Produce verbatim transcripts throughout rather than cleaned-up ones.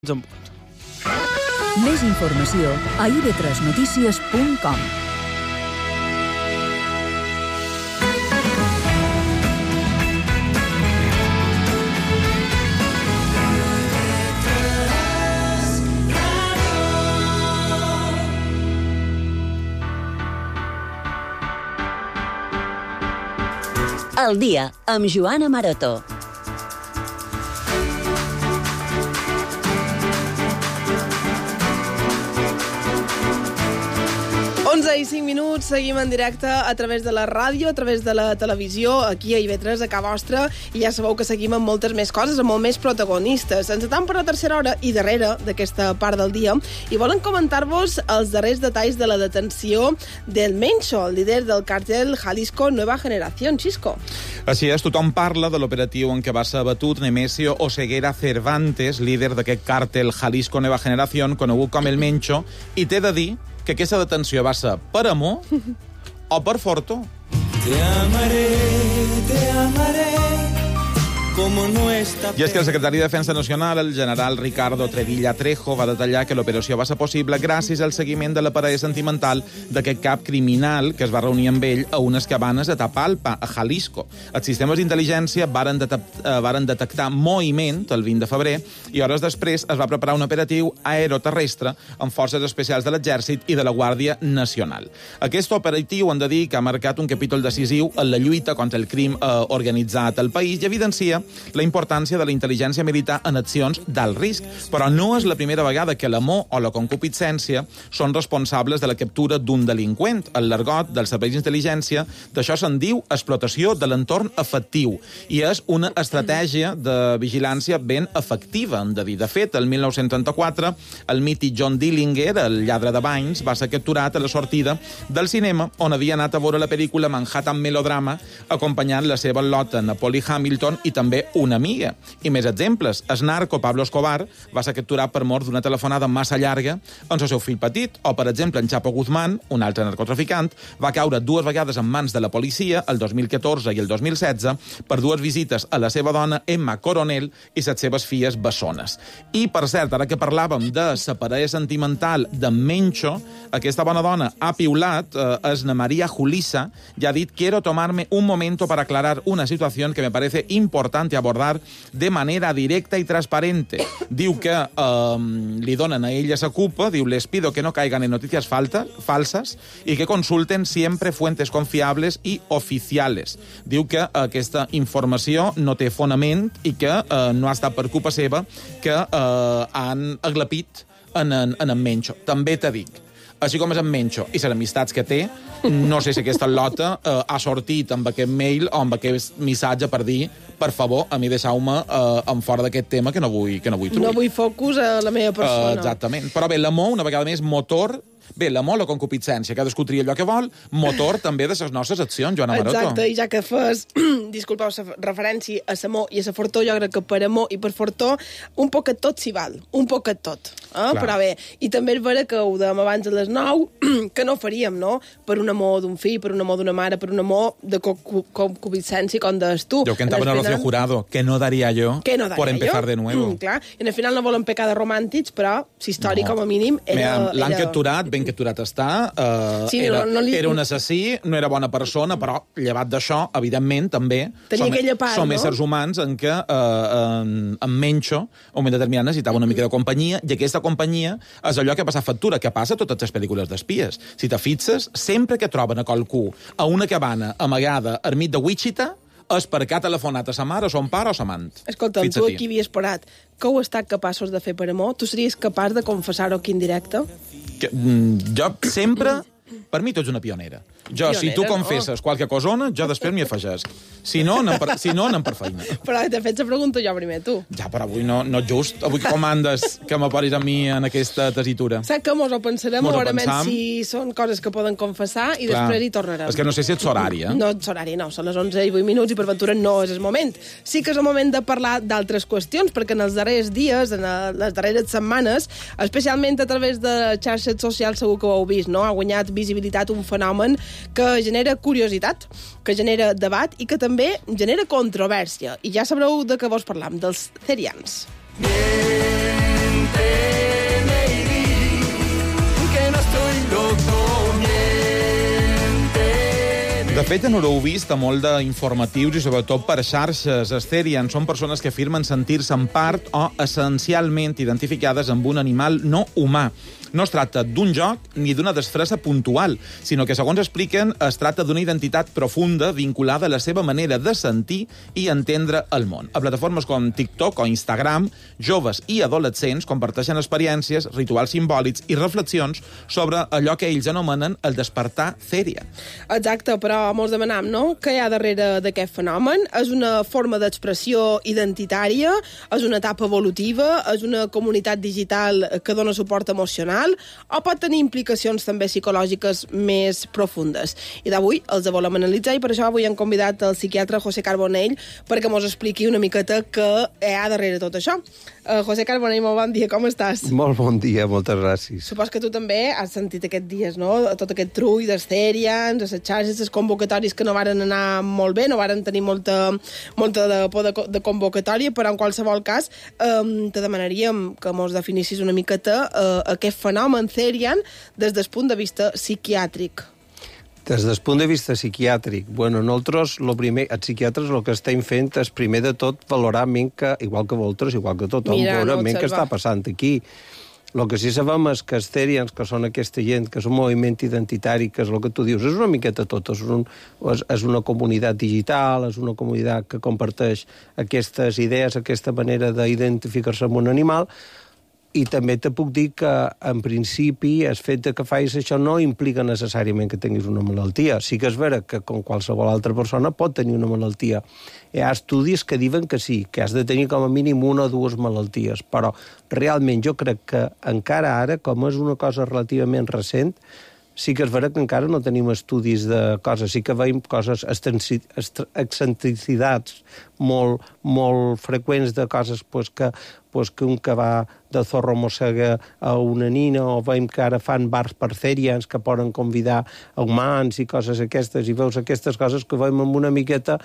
En punt. Més informació a i ve tres notícies punt com. El dia amb Joana Maroto. onze i cinc minuts, seguim en directe a través de la ràdio, a través de la televisió, aquí a i ve tres, a casa vostra, i ja sabeu que seguim amb moltes més coses, amb molt més protagonistes. Ens atam per la tercera hora i darrere d'aquesta part del dia, i volen comentar-vos els darrers detalls de la detenció del Mencho, el líder del càrtel Jalisco Nueva Generación, Xisco. Així és, tothom parla de l'operatiu en què va ser abatut Nemesio Oseguera Cervantes, líder d'aquest càrtel Jalisco Nueva Generación, conegut com el Mencho, i t'he de dir que aquesta detenció va ser per amor o per fortó. Te amaré, te amaré, como no está... I és que el secretari de Defensa Nacional, el general Ricardo Trevilla Trejo, va detallar que l'operació va ser possible gràcies al seguiment de la parella sentimental d'aquest cap criminal que es va reunir amb ell a unes cabanes a Tapalpa, a Jalisco. Els sistemes d'intel·ligència varen, detect, eh, varen detectar moviment el vint de febrer i hores després es va preparar un operatiu aeroterrestre amb forces especials de l'Exèrcit i de la Guàrdia Nacional. Aquest operatiu, han de dir, que ha marcat un capítol decisiu en la lluita contra el crim eh, organitzat al país i evidencia la importància de la intel·ligència militar en accions d'alt risc. Però no és la primera vegada que l'amor o la concupiscència són responsables de la captura d'un delinqüent. El l'argot dels serveis d'intel·ligència d'això se'n diu explotació de l'entorn afectiu i és una estratègia de vigilància ben efectiva, hem de dir. De fet, el mil nou-cents trenta-quatre, el mític John Dillinger, el lladre de banys, va ser capturat a la sortida del cinema on havia anat a veure la pel·lícula Manhattan Melodrama acompanyant la seva lota Napoli Hamilton i també una amiga. I més exemples. El narco Pablo Escobar va ser capturat per mort d'una telefonada massa llarga amb el seu fill petit. O, per exemple, en Chapo Guzmán, un altre narcotraficant, va caure dues vegades en mans de la policia, el dos mil catorze i el dos mil setze, per dues visites a la seva dona, Emma Coronel, i les seves filles bessones. I, per cert, ara que parlàvem de la parella sentimental de Mencho, aquesta bona dona ha piulat, eh, és na María Julissa, i ha dit: «Quiero tomarme un momento para aclarar una situación que me parece importante abordar de manera directa y transparente». Diu que eh, li donen a ella esa culpa, diu: «Les pido que no caigan en noticias falta, falsas y que consulten siempre fuentes confiables y oficiales». Diu que aquesta informació no té fonament i que eh, no ha estat per culpa seva que eh, han aglapit en en, en en Mencho. També t'he dit, així com és en Mencho i les amistats que té, no sé si aquesta lota eh, ha sortit amb aquest mail o amb aquest missatge per dir: per favor, a mi deixeu-me eh, en fora d'aquest tema que no vull, que no vull truir. No vull focus a la meva persona. Uh, exactament. Però bé, l'amor, una vegada més, motor... Bé, l'amor, la concupiscència, cadascú tria allò que vol, motor també de les nostres accions, Joana Maroto. Exacte, i ja que fas, disculpeu, la referència a l'amor i a la fortó, jo crec que per amor i per fortó, un poquet tot s'hi val, un poquet tot. Eh? Però bé, i també és vera que ho dèiem abans a les nou, que no faríem, no?, per un amor d'un fill, per un amor d'una mare, per un amor de concupiscència, com deies tu. Jo que en el Rocío Jurado, que no daría yo que no daría por empezar yo? de nuevo. Mm, clar, i al final no volen pecar de romàntics, però la història, no, com a mínim, era... L'han era... capturat, ben capturat està, uh, sí, era, no, no li... era un assassí, no era bona persona, però llevat d'això, evidentment, també tenia som, aquella part, som no? éssers humans en què uh, en, en Mencho, a un moment determinat, necessitava una mica de companyia, i aquesta companyia és allò que passa factura, que passa a totes les pel·lícules d'espies. Si te fixes, sempre que troben a qualcú a una cabana amagada al mig de Wichita, és perquè ha telefonat a sa mare, a son pare o a sa amant. Escolta, tu aquí havies parat. Què heu estat capaços de fer per amor? Tu series capaç de confessar-ho aquí en directe? Que, mm, jo sempre... Per mi tu ets una pionera. Jo, pionera, si tu confesses no? qualque cosona, jo després m'hi afegeix. Si no, anem per, si no, anem per feina. Però t'he fet la pregunta jo primer, tu. Ja, però avui no, no just. Avui com andes que m'aporis a mi en aquesta tesitura? Saps que mos ho pensarem, mos ho veurem pensam. si són coses que poden confessar i Clar. després hi tornarem. És que no sé si ets horari, eh? No, ets horari, no. Són les onze i vuit minuts i per ventura no és el moment. Sí que és el moment de parlar d'altres qüestions, perquè en els darrers dies, en les darreres setmanes, especialment a través de xarxes socials, segur que ho heu vist, no? Ha guanyat visibilitat un fenomen que genera curiositat, que genera debat i que també genera controvèrsia. I ja sabreu de què vos parlam, dels cerians. Mientras Bé, ja no l'heu vist a molt d'informatius i sobretot per xarxes. Estherian són persones que afirmen sentir-se en part o essencialment identificades amb un animal no humà. No es tracta d'un joc ni d'una disfressa puntual, sinó que, segons expliquen, es tracta d'una identitat profunda vinculada a la seva manera de sentir i entendre el món. A plataformes com TikTok o Instagram, joves i adolescents comparteixen experiències, rituals simbòlics i reflexions sobre allò que ells anomenen el despertar Therian. Exacte, però mos demanam, no?, què hi ha darrere d'aquest fenomen? És una forma d'expressió identitària? És una etapa evolutiva? És una comunitat digital que dona suport emocional? O pot tenir implicacions també psicològiques més profundes? I d'avui els volem analitzar i per això avui hem convidat el psiquiatre José Carbonell perquè mos expliqui una miqueta què hi ha darrere tot això. Uh, José Carbonell, molt bon dia, com estàs? Molt bon dia, moltes gràcies. Supos que tu també has sentit aquests dies, no?, tot aquest trull d'Estherians, les xarxes, les convocatòries que no varen anar molt bé, no varen tenir molta, molta de por de, de convocatòria, però en qualsevol cas um, te demanaríem que mos definissis una miqueta uh, aquest fenomen Therian des del punt de vista psiquiàtric. Des del punt de vista psiquiàtric, bueno, nosaltres, lo primer, els psiquiatres, el que estem fent és, primer de tot, valorar que, igual que vosaltres, igual que tothom, Mira, valorar no què està passant aquí. El que sí sabem és que els Therians, que són aquesta gent, que és un moviment identitari, que és el que tu dius, és una miqueta tot, és, un, és, és una comunitat digital, és una comunitat que comparteix aquestes idees, aquesta manera d'identificar-se amb un animal. I també te puc dir que, en principi, el fet de que facis això no implica necessàriament que tinguis una malaltia. Sí que és vera que, com qualsevol altra persona, pot tenir una malaltia. Hi ha estudis que diuen que sí, que has de tenir com a mínim una o dues malalties, però realment jo crec que encara ara, com és una cosa relativament recent, sí que és vera que encara no tenim estudis de coses, sí que veiem coses, excentricitats molt, molt freqüents de coses pues, que, pues, que un que va de zorro mossega a una nina, o veiem que ara fan bars per Therians que poden convidar a humans i coses aquestes, i veus aquestes coses que veiem amb una miqueta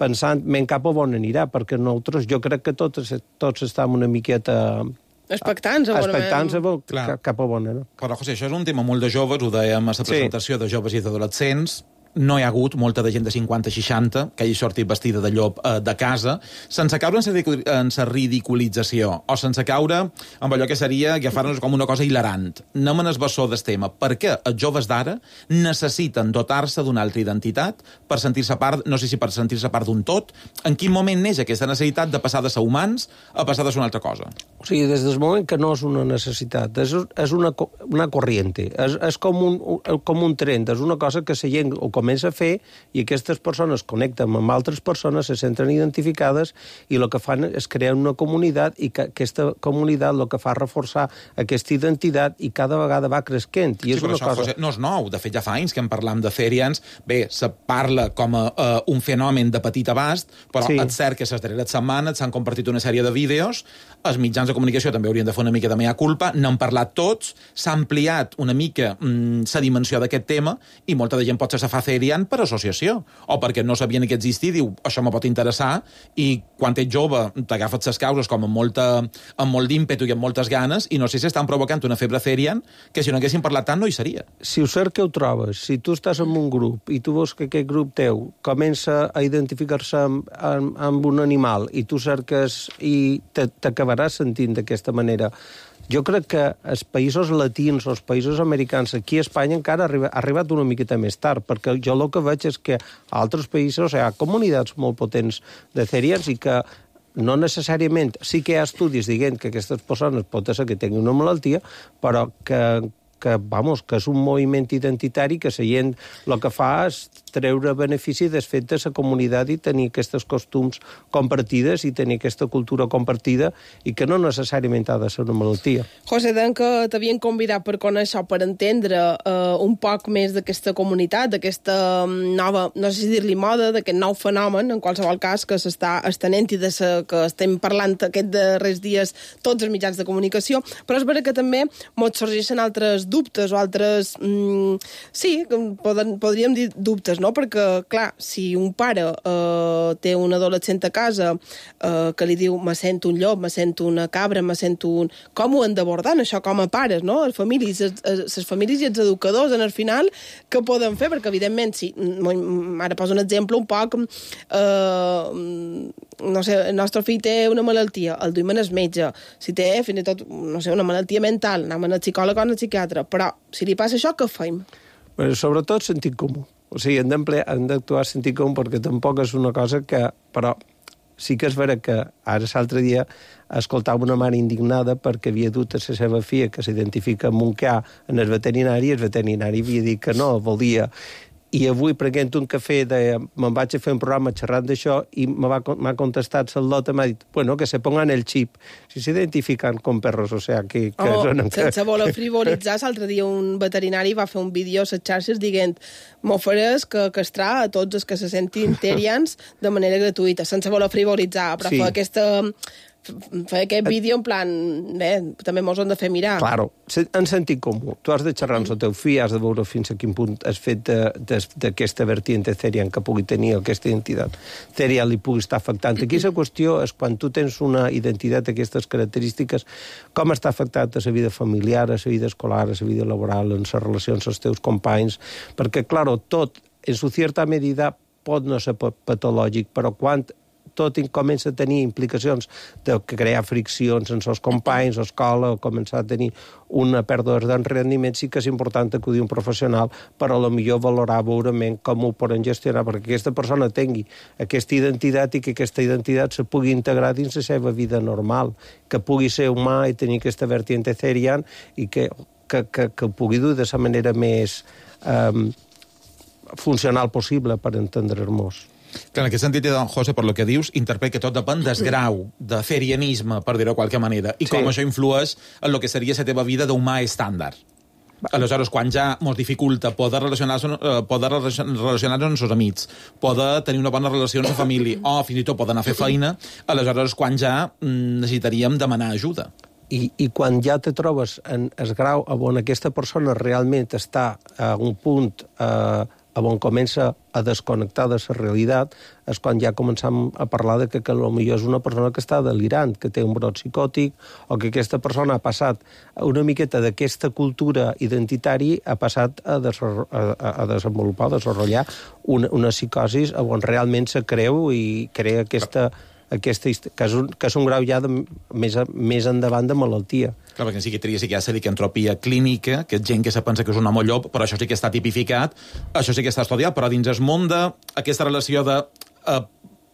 pensant, men cap a on anirà, perquè nosaltres, jo crec que tots, tots estem una miqueta... Expectants, a Expectants a veure cap, cap a on, no? Però, José, això és un tema molt de joves, ho dèiem a la presentació sí. de joves i d'adolescents. No hi ha hagut molta de gent de cinquanta seixanta que hagi sortit vestida de llop eh, de casa, sense caure en la ridiculització, o sense caure amb allò que seria agafar-nos com una cosa hilarant. Anem en el bessó del tema. Per què els joves d'ara necessiten dotar-se d'una altra identitat per sentir-se part, no sé si per sentir-se part d'un tot? En quin moment neix aquesta necessitat de passar de ser humans a passar de ser una altra cosa? O sigui, des del moment que no és una necessitat, és, és una, una corriente, és, és com, un, com un tren, és una cosa que la gent ho comença a fer i aquestes persones connecten amb altres persones, se senten identificades i el que fan és crear una comunitat i que aquesta comunitat el que fa és reforçar aquesta identitat i cada vegada va creixent. I és sí, però una això, cosa... José, no és nou. De fet, ja fa anys que en parlam de Therians. Bé, se parla com a uh, un fenomen de petit abast, però sí. és cert que les darreres setmanes s'han compartit una sèrie de vídeos, els mitjans de comunicació també haurien de fer una mica de mea culpa, n'han parlat tots, s'ha ampliat una mica mm, la dimensió d'aquest tema i molta de gent pot ser se fa Therian per associació, o perquè no sabien que existia, diu, això me pot interessar, i quan ets jove t'agafes les causes com amb, molta, amb molt d'ímpetu i amb moltes ganes, i no sé si estan provocant una febre Therian que si no haguessin parlat tant no hi seria. Si ho cert que ho trobes, si tu estàs en un grup i tu veus que aquest grup teu comença a identificar-se amb, amb, amb un animal i tu cerques i t'acabaràs sentint d'aquesta manera. Jo crec que els països latins o els països americans, aquí a Espanya encara ha arribat, ha arribat una miqueta més tard, perquè jo el que veig és que a altres països hi ha comunitats molt potents de Therians i que no necessàriament, sí que hi ha estudis dient que aquestes persones pot ser que tinguin una malaltia, però que, que, vamos, que és un moviment identitari que la gent el que fa és treure benefici del fet de la comunitat i tenir aquests costums compartides i tenir aquesta cultura compartida i que no necessàriament ha de ser una malaltia. José, deien que t'havien convidat per conèixer, per entendre eh, un poc més d'aquesta comunitat, d'aquesta nova, no sé si dir-li moda, d'aquest nou fenomen, en qualsevol cas, que s'està estenent i de sa, que estem parlant aquests darrers dies tots els mitjans de comunicació, però és vera que també mos sorgeixen altres dubtes o altres... Mm, sí, poden, podríem dir dubtes, dubtes, no? Perquè, clar, si un pare eh, té un adolescent a casa eh, que li diu me sento un llop, me sento una cabra, me sento un... Com ho han d'abordar, això, com a pares, no? Les famílies, les famílies i els educadors, en el final, què poden fer? Perquè, evidentment, si... Ara poso un exemple un poc... Eh, no sé, el nostre fill té una malaltia, el duim al metge. Si té, fins i tot, no sé, una malaltia mental, anem al psicòleg o al psiquiatre. Però, si li passa això, què fem? Bueno, sobretot sentit comú. O sigui, hem d'actuar sentit comú perquè tampoc és una cosa que... Però sí que és vera que ara l'altre dia escoltava una mare indignada perquè havia dut a la seva filla que s'identifica amb un ca en el veterinari i el veterinari havia dit que no, volia... I avui, prenent un cafè, de, me'n vaig a fer un programa xerrant d'això i m'ha contestat el lot, m'ha dit, bueno, que se pongan el xip. Si s'identifiquen com perros, o sea, que... que oh, són... sense voler frivolitzar, l'altre dia un veterinari va fer un vídeo a les xarxes dient m'ofereix que castrar a tots els que se sentin terians de manera gratuïta, sense voler frivolitzar, però sí. Fa aquesta... fer aquest vídeo en plan, bé, també mos hem de fer mirar. Claro, en sentit comú. Tu has de xerrar amb el teu fill, has de veure fins a quin punt has fet d'aquesta vertiente therian que pugui tenir aquesta identitat therian li pugui estar afectant. Aquí la qüestió és quan tu tens una identitat d'aquestes característiques, com està afectat a la vida familiar, a la vida escolar, a la vida laboral, en les relacions amb els teus companys, perquè, claro, tot, en su cierta medida, pot no ser patològic, però quan tot comença a tenir implicacions de crear friccions en els companys, a l'escola, o començar a tenir una pèrdua de rendiment, sí que és important acudir a un professional per a lo millor valorar veurement com ho poden gestionar, perquè aquesta persona tingui aquesta identitat i que aquesta identitat se pugui integrar dins la seva vida normal, que pugui ser humà i tenir aquesta vertiente therian i que, que, que, que pugui dur de la manera més eh, funcional possible per entendre-nos. Clar, en aquest sentit, don José, per lo que dius, interpret que tot depèn del grau de therianisme, per dir-ho de qualque manera, i com sí. Això influeix en el que seria la teva vida d'humà estàndard. Aleshores, quan ja ens dificulta poder relacionar-nos poder relacionar amb els amics, poder tenir una bona relació amb la família, o fins i tot poder anar a fer feina, aleshores, quan ja necessitaríem demanar ajuda. I, i quan ja te trobes en el grau on aquesta persona realment està a un punt eh, on comença a desconnectar de la realitat, és quan ja començam a parlar de que, que potser és una persona que està delirant, que té un brot psicòtic, o que aquesta persona ha passat una miqueta d'aquesta cultura identitària, ha passat a, a, a desenvolupar, a desenvolupar una, una psicosi on realment se creu i crea aquesta... aquesta, que, és un, que és un grau ja de, més, més endavant de malaltia. Clar, perquè en psiquiatria sí que hi ha la licantropia clínica, que és gent que se pensa que és un home llop, però això sí que està tipificat, això sí que està estudiat, però dins el món d'aquesta relació de eh,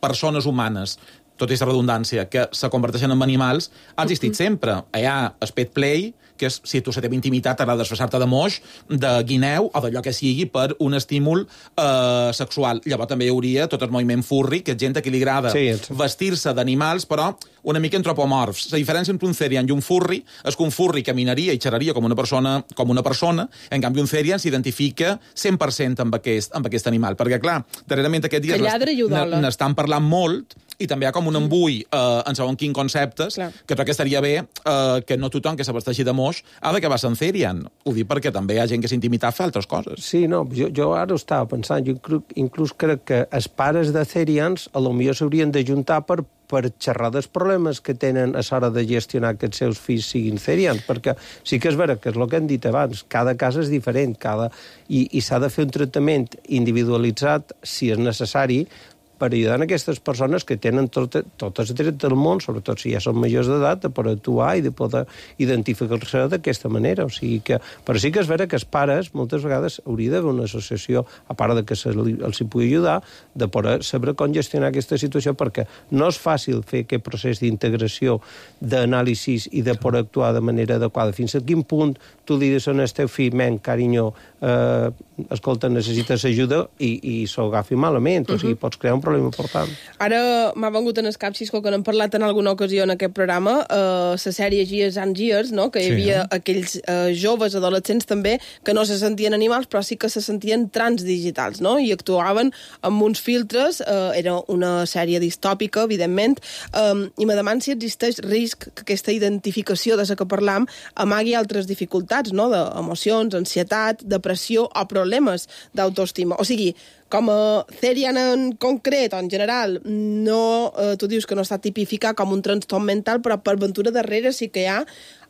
persones humanes, tot i la redundància, que se converteixen en animals, ha existit sempre. Hi ha el pet play, que és, si tu la teva intimitat t'agrada desfassar-te de moix, de guineu o d'allò que sigui per un estímul eh, sexual. Llavors també hi hauria tot el moviment furry, que és gent que li agrada sí, vestir-se d'animals, però una mica antropomorfs. La diferència entre un therian i un furry és que un furry caminaria i xerraria com una persona, com una persona, en canvi un therian s'identifica cent per cent amb aquest, amb aquest animal. Perquè, clar, darrerament aquest dia n'estan parlant molt i també hi ha com un embui eh, en segon quin conceptes, clar. Que crec que estaria bé eh, que no tothom que s'abasteixi de moix ha d'acabar sent therian. Ho dic perquè també hi ha gent que s'intimitat fa altres coses. Sí, no, jo, jo ara ho estava pensant, jo inclús, inclús crec que els pares de therians a lo millor s'haurien d'ajuntar per per xerrar dels problemes que tenen a l'hora de gestionar que els seus fills siguin therians, perquè sí que és vera que és el que hem dit abans, cada cas és diferent, cada... i, i s'ha de fer un tractament individualitzat, si és necessari, per ajudar a aquestes persones que tenen tot, tot el dret del món, sobretot si ja són majors d'edat, per actuar i de poder identificar-se d'aquesta manera. O sigui que, però sí que és vera que els pares moltes vegades hauria d'haver una associació, a part de que se li, els hi pugui ajudar, de poder saber com gestionar aquesta situació, perquè no és fàcil fer aquest procés d'integració, d'anàlisi i de poder actuar de manera adequada. Fins a quin punt tu li dius al teu fill, men, carinyo, eh, escolta, necessites ajuda i, i s'ho agafi malament. O sigui, pots crear un problema important. Ara m'ha vengut en el cap, Xisco, que n'hem parlat en alguna ocasió en aquest programa, eh, la sèrie Years and Years, no? Que hi havia sí, aquells eh, joves, adolescents també, que no se sentien animals, però sí que se sentien transdigitals, no? I actuaven amb uns filtres, eh, era una sèrie distòpica, evidentment, eh, i me deman si existeix risc que aquesta identificació de la que parlam amagui altres dificultats, no? D'emocions, ansietat, depressió o problemes d'autoestima. O sigui, com a Therian en concret, o en general, no, eh, tu dius que no està tipificat com un trastorn mental, però per ventura darrere sí que hi ha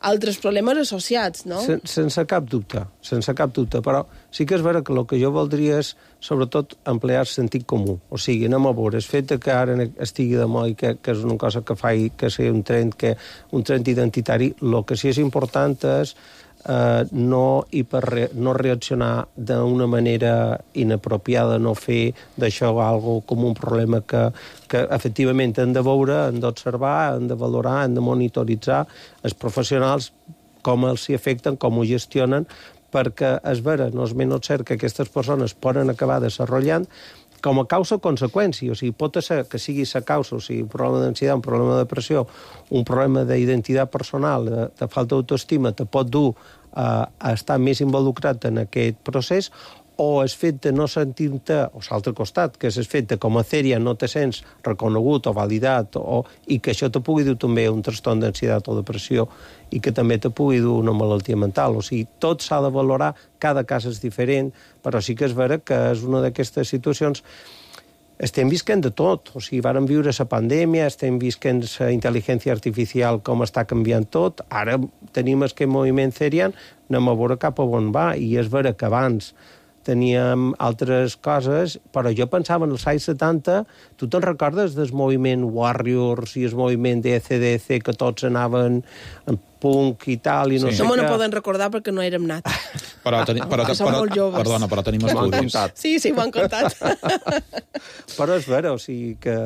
altres problemes associats, no? Sen, sense cap dubte, sense cap dubte, però sí que és vera que el que jo voldria és, sobretot, emplear sentit comú. O sigui, anem a veure, el fet que ara estigui de moda i que, que és una cosa que fa que sigui un trend, que, un trend identitari, el que sí és important és eh, no, hiperre, no reaccionar d'una manera inapropiada, no fer d'això algo com un problema que, que efectivament hem de veure, hem d'observar, hem de valorar, hem de monitoritzar els professionals com els s'hi afecten, com ho gestionen, perquè és vera, no és menys cert que aquestes persones poden acabar desenvolupant com a causa o conseqüència. O sigui, pot ser que sigui la causa, o sigui, un problema d'ansietat, un problema de depressió, un problema d'identitat personal, de, de falta d'autoestima, te pot dur a, a estar més involucrat en aquest procés, o el fet de no sentir-te, o l'altre costat, que és el fet de com a Therian no te sents reconegut o validat, o, i que això te pugui dur també un trastorn d'ansietat o depressió, i que també te pugui dur una malaltia mental. O sigui, tot s'ha de valorar, cada cas és diferent, però sí que és vera que és una d'aquestes situacions. Estem visquent de tot, o sigui, vàrem viure la pandèmia, estem visquent la intel·ligència artificial, com està canviant tot, ara tenim aquest moviment Therian, anem a veure cap a on va, i és vera que abans teníem altres coses, però jo pensava en els anys setanta, tu te'n recordes del moviment Warriors i el moviment de A C D C, que tots anaven en punk i tal, i no sí. sé No me què. no poden recordar perquè no érem nats. Però, teni, però, Som però, molt joves. perdona, però tenim estudis. Sí, sí, m'ho han contat. Però és vera, o sigui que...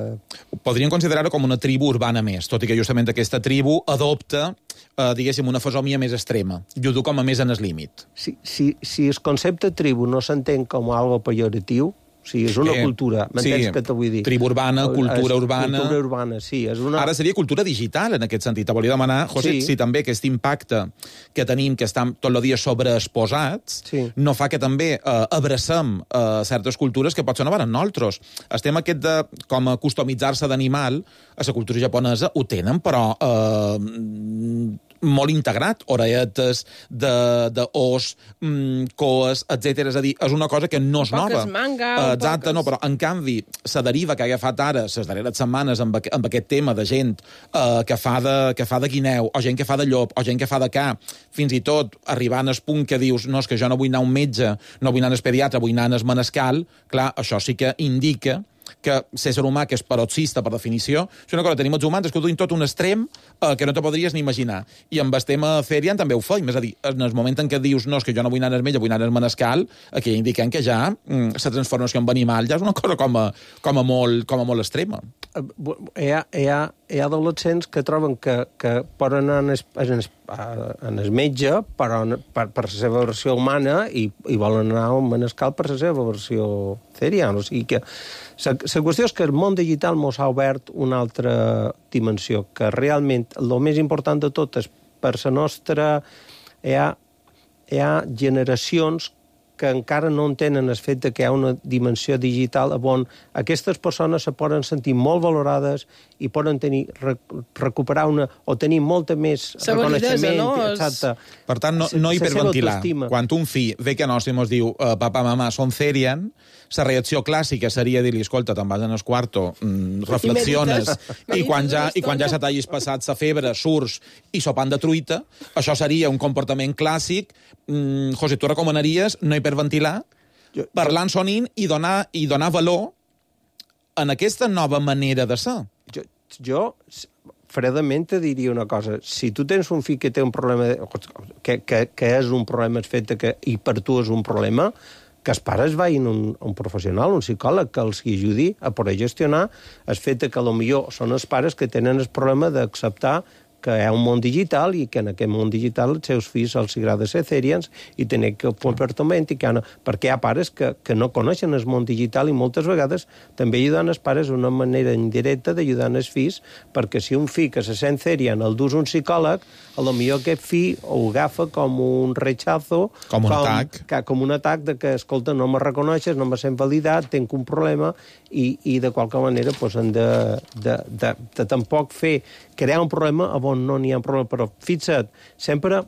Podríem considerar-ho com una tribu urbana més, tot i que justament aquesta tribu adopta, eh, diguéssim, una fesomia més extrema, i ho du com a més en el límit. Si, si, si el concepte tribu no s'entén com algo pejoratiu, o sigui, és una Eh, cultura, m'entens sí, què te vull dir? tribu urbana, cultura És urbana. Cultura urbana, sí. És una... Ara seria cultura digital, en aquest sentit. Te volia demanar, José, Sí. si també aquest impacte que tenim, que estan tot el dia sobreexposats, Sí. no fa que també eh, abracem eh, certes cultures que potser no van en nosaltres. Estem aquest de, com a customitzar-se d'animal, a la cultura japonesa ho tenen, però eh, molt integrat, orelletes de, de os, mm, coes, etcètera. És a dir, és una cosa que no és Un poc nova. es manga, Eh, un Exacte, poc no, es- però en canvi, la deriva que ha agafat ara, les darreres setmanes, amb, aqu amb aquest tema de gent eh, que, fa de, que fa de guineu, o gent que fa de llop, o gent que fa de ca, fins i tot arribant al punt que dius, no, és que jo no vull anar a un metge, no vull anar al pediatre, vull anar al manescal, clar, això sí que indica que l'ésser humà, que és paroxista per definició, és una cosa que tenim els humans, és que ho duim tot un extrem eh, que no te podries ni imaginar. I amb el tema Therian també ho feim, és a dir, en el moment en què dius no, és que jo no vull anar al metge, vull anar al manescal, aquí indiquen que ja mm, la transformació en animal ja és una cosa com a, com a, molt, com a molt extrema. Hi ha, hi ha, hi ha adolescents que troben que, que poden anar en el, en el, en el metge però, per, per la seva versió humana i, i volen anar a un manescal per la seva versió Therian. O sigui que la, la qüestió és que el món digital mos ha obert una altra dimensió, que realment el més important de tot és per la nostra... Hi ha, hi ha generacions que encara no entenen el fet de que hi ha una dimensió digital on aquestes persones se poden sentir molt valorades i poden tenir, recuperar una, o tenir molta més La validesa, reconeixement. no? Exacte. Per tant, no, La- no la seva hiperventilar. autoestima. Quan un fill ve que nostre i mos diu uh, papa, mama, són Therian, la reacció clàssica seria dir-li, escolta, te'n vas en el quarto, mm, reflexiones, medites. i quan ja, Medites i quan ja una se t'hagis passat la febre, surts i sopant de truita, això seria un comportament clàssic. Mm, José, tu recomanaries no hiperventilar, Jo- parlar en sonint i donar, i donar valor en aquesta nova manera de ser. Jo, jo fredament te diria una cosa. Si tu tens un fill que té un problema, de, que, que, que és un problema el fet de que, i per tu és un problema, que els pares vagin a un, a un professional, un psicòleg, que els ajudi a poder gestionar el fet de que potser són els pares que tenen el problema d'acceptar que hi ha un món digital i que en aquest món digital els seus fills els agrada ser Therians i tenir que comportament i que no, perquè hi ha pares que, que no coneixen el món digital i moltes vegades també ajudant els pares una manera indirecta d'ajudar els fills, perquè si un fill que se sent Therian el dus un psicòleg, a lo millor aquest fill ho agafa com un rechazo, Com un atac. que, com un atac de que, escolta, no me reconeixes, no me sent validat, tenc un problema i, i de qualque manera pues, han de, de, de, de tampoc fer crear un problema on no n'hi ha un problema, però fixa't, sempre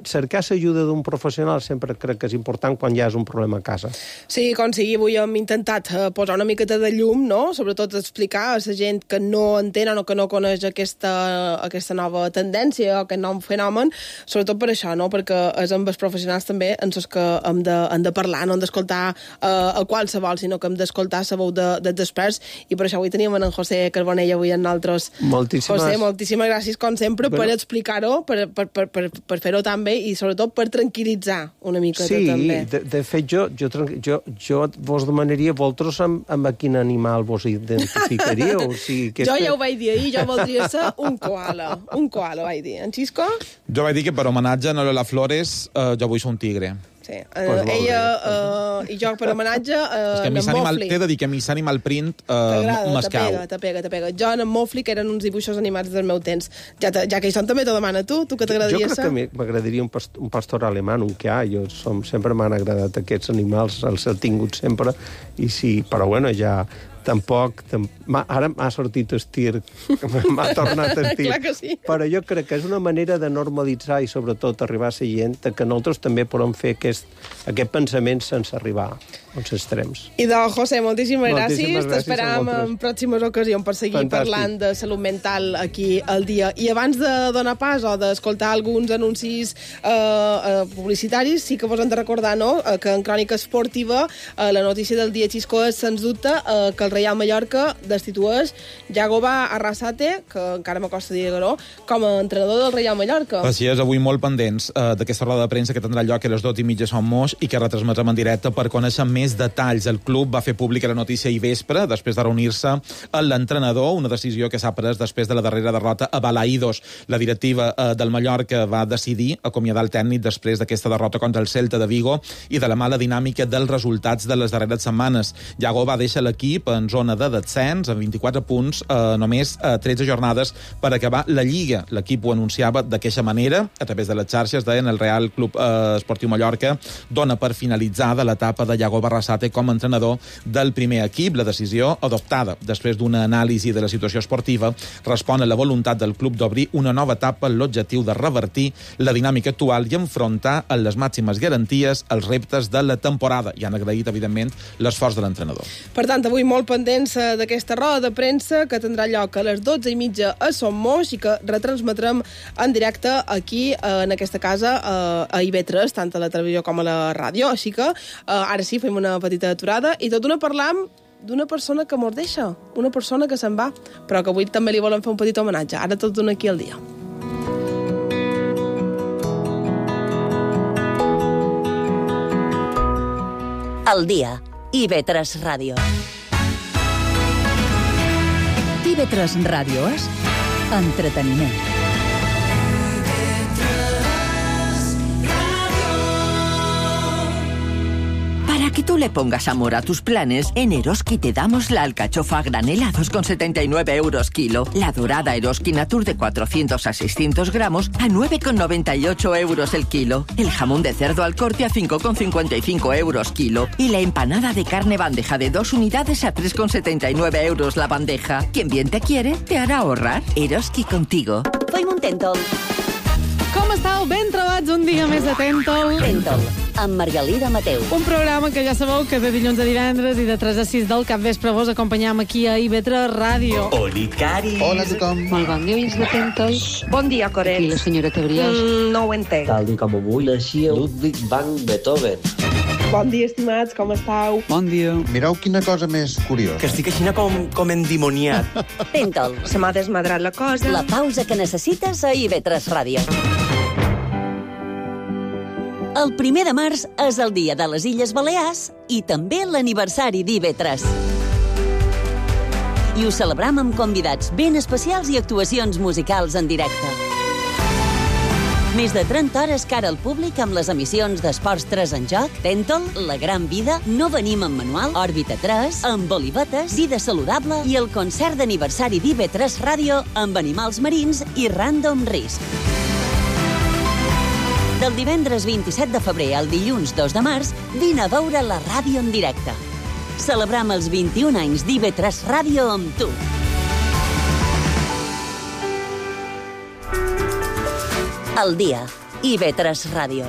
cercar l'ajuda d'un professional sempre crec que és important quan hi ha un problema a casa. Sí, com sigui, avui hem intentat eh, posar una miqueta de llum, no? Sobretot explicar a la gent que no entenen o que no coneix aquesta, aquesta nova tendència o aquest nou fenomen, sobretot per això, no? Perquè és amb els professionals també en els que hem de, hem de parlar, no hem d'escoltar eh, a qualsevol, sinó que hem d'escoltar la veu de, dels experts, i per això avui teníem en José Carbonell avui en nosaltres. Moltíssimes... José, moltíssimes gràcies, com sempre, bueno, per explicar-ho, per, per, per, per, per fer-ho tan bé i sobretot per tranquil·litzar una mica sí, també. Sí, de, de fet, jo, jo, jo, jo vos demanaria vosaltres amb, amb a quin animal vos identificaríeu. O sigui, que jo este... ja ho vaig dir ahir, jo voldria ser un koala. Un koala, vaig dir. En Xisco? Jo vaig dir que per homenatge a Lola Flores eh, jo vull ser un tigre. Sí. Uh, ella uh, i jo per homenatge uh, en Mofli. T'he de dir que a mi s'animal print uh, m'escau. Te pega, te pega. Jo en Mofli, que eren uns dibuixos animats del meu temps. Ja, te, ja que hi són, també t'ho demana tu, tu que t'agradaria ser? Jo crec que m'agradaria un, past un pastor alemany, un que ha. Jo som, sempre m'han agradat aquests animals, els he tingut sempre, i sí, però bueno, ja... Tampoc... Tam... Ara m'ha sortit estir, m'ha tornat estir. Clar que sí. Però jo crec que és una manera de normalitzar i sobretot arribar a la gent que nosaltres també podem fer aquest, aquest pensament sense arribar als extrems. I de José, moltíssimes, moltíssimes gràcies. T'esperam en pròximes ocasions per seguir Fantàstic. Parlant de salut mental aquí al dia. I abans de donar pas o d'escoltar alguns anuncis eh, eh, publicitaris, sí que vos hem de recordar, no?, que en Crònica Esportiva eh, la notícia del dia, Xisco, és, sens dubte, eh, que el Reial Mallorca destitueix Yagoba Arrasate, que encara m'acosta dir-ho, com a entrenador del Reial Mallorca. Així és, avui molt pendents eh, d'aquesta roda de premsa que tindrà lloc a les dues i mitja Som Moix i que retransmetrem en directe per conèixer més detalls. El club va fer pública la notícia ahir vespre, després de reunir-se amb l'entrenador, una decisió que s'ha pres després de la darrera derrota a Balaïdos. La directiva eh, del Mallorca va decidir acomiadar el tècnic després d'aquesta derrota contra el Celta de Vigo i de la mala dinàmica dels resultats de les darreres setmanes. Yagoba deixa l'equip en zona de descens, amb vint-i-quatre punts, eh, només eh, tretze jornades per acabar la Lliga. L'equip ho anunciava d'aquesta manera, a través de les xarxes, deien el Real Club eh, Esportiu Mallorca dona per finalitzada l'etapa de Yagoba Arrasate com a entrenador del primer equip. La decisió, adoptada després d'una anàlisi de la situació esportiva, respon a la voluntat del club d'obrir una nova etapa amb l'objectiu de revertir la dinàmica actual i enfrontar amb les màximes garanties els reptes de la temporada. I han agraït, evidentment, l'esforç de l'entrenador. Per tant, avui molt pendents d'aquesta roda de premsa que tindrà lloc a les dotze i mitja a Som Moix i que retransmetrem en directe aquí, en aquesta casa, a I V tres, tant a la televisió com a la ràdio. Així que ara sí, fem una petita aturada i tot una parlam d'una persona que mos deixa, una persona que se'n va, però que avui també li volem fer un petit homenatge. Ara tot d'una aquí al dia. El dia, I V tres Ràdio. I V tres Ràdio és entreteniment. Para que tú le pongas amor a tus planes, en Eroski te damos la alcachofa a granel a dos con setenta y nueve euros kilo, la dorada Eroski Natur de cuatrocientos a seiscientos gramos a nueve con noventa y ocho euros el kilo, el jamón de cerdo al corte a cinco con cincuenta y cinco euros kilo y la empanada de carne bandeja de dos unidades a tres con setenta y nueve euros la bandeja. Quien bien te quiere, te hará ahorrar. Eroski contigo. Fem un Tentol. Com estàu? Ben trobats un dia més de Tentol. Tentol, amb Margalida Mateu. Un programa que ja sabeu que de dilluns a divendres i de tres a sis del capvespre vos acompanyam aquí a I V tres Ràdio. Oli, Cari. Hola a tothom. Molt bon dia, oients de Tentol. Bon dia, Coret. Aquí la senyora Tebriós. Mm, no ho entenc. Tal i com avui naixia Ludwig van Beethoven. Bon dia, estimats, com estàu? Bon dia. Mireu quina cosa més curiosa. Que estic així com, com endimoniat. Tentol. Se m'ha desmadrat la cosa. La pausa que necessites a I V tres Ràdio. El primer de març és el dia de les Illes Balears i també l'aniversari d'I V tres. I ho celebram amb convidats ben especials i actuacions musicals en directe. Més de trenta hores cara al públic amb les emissions d'Esports tres en joc, Tentol, La Gran Vida, No venim en manual, Òrbita tres, amb Olivetes, Vida Saludable i el concert d'aniversari d'I V tres Ràdio amb animals marins i Random Risk. Del divendres vint-i-set de febrer al dilluns dos de març, vine a veure la ràdio en directe. Celebram els vint-i-un anys d'I V tres Ràdio amb tu. El dia, I V tres Ràdio.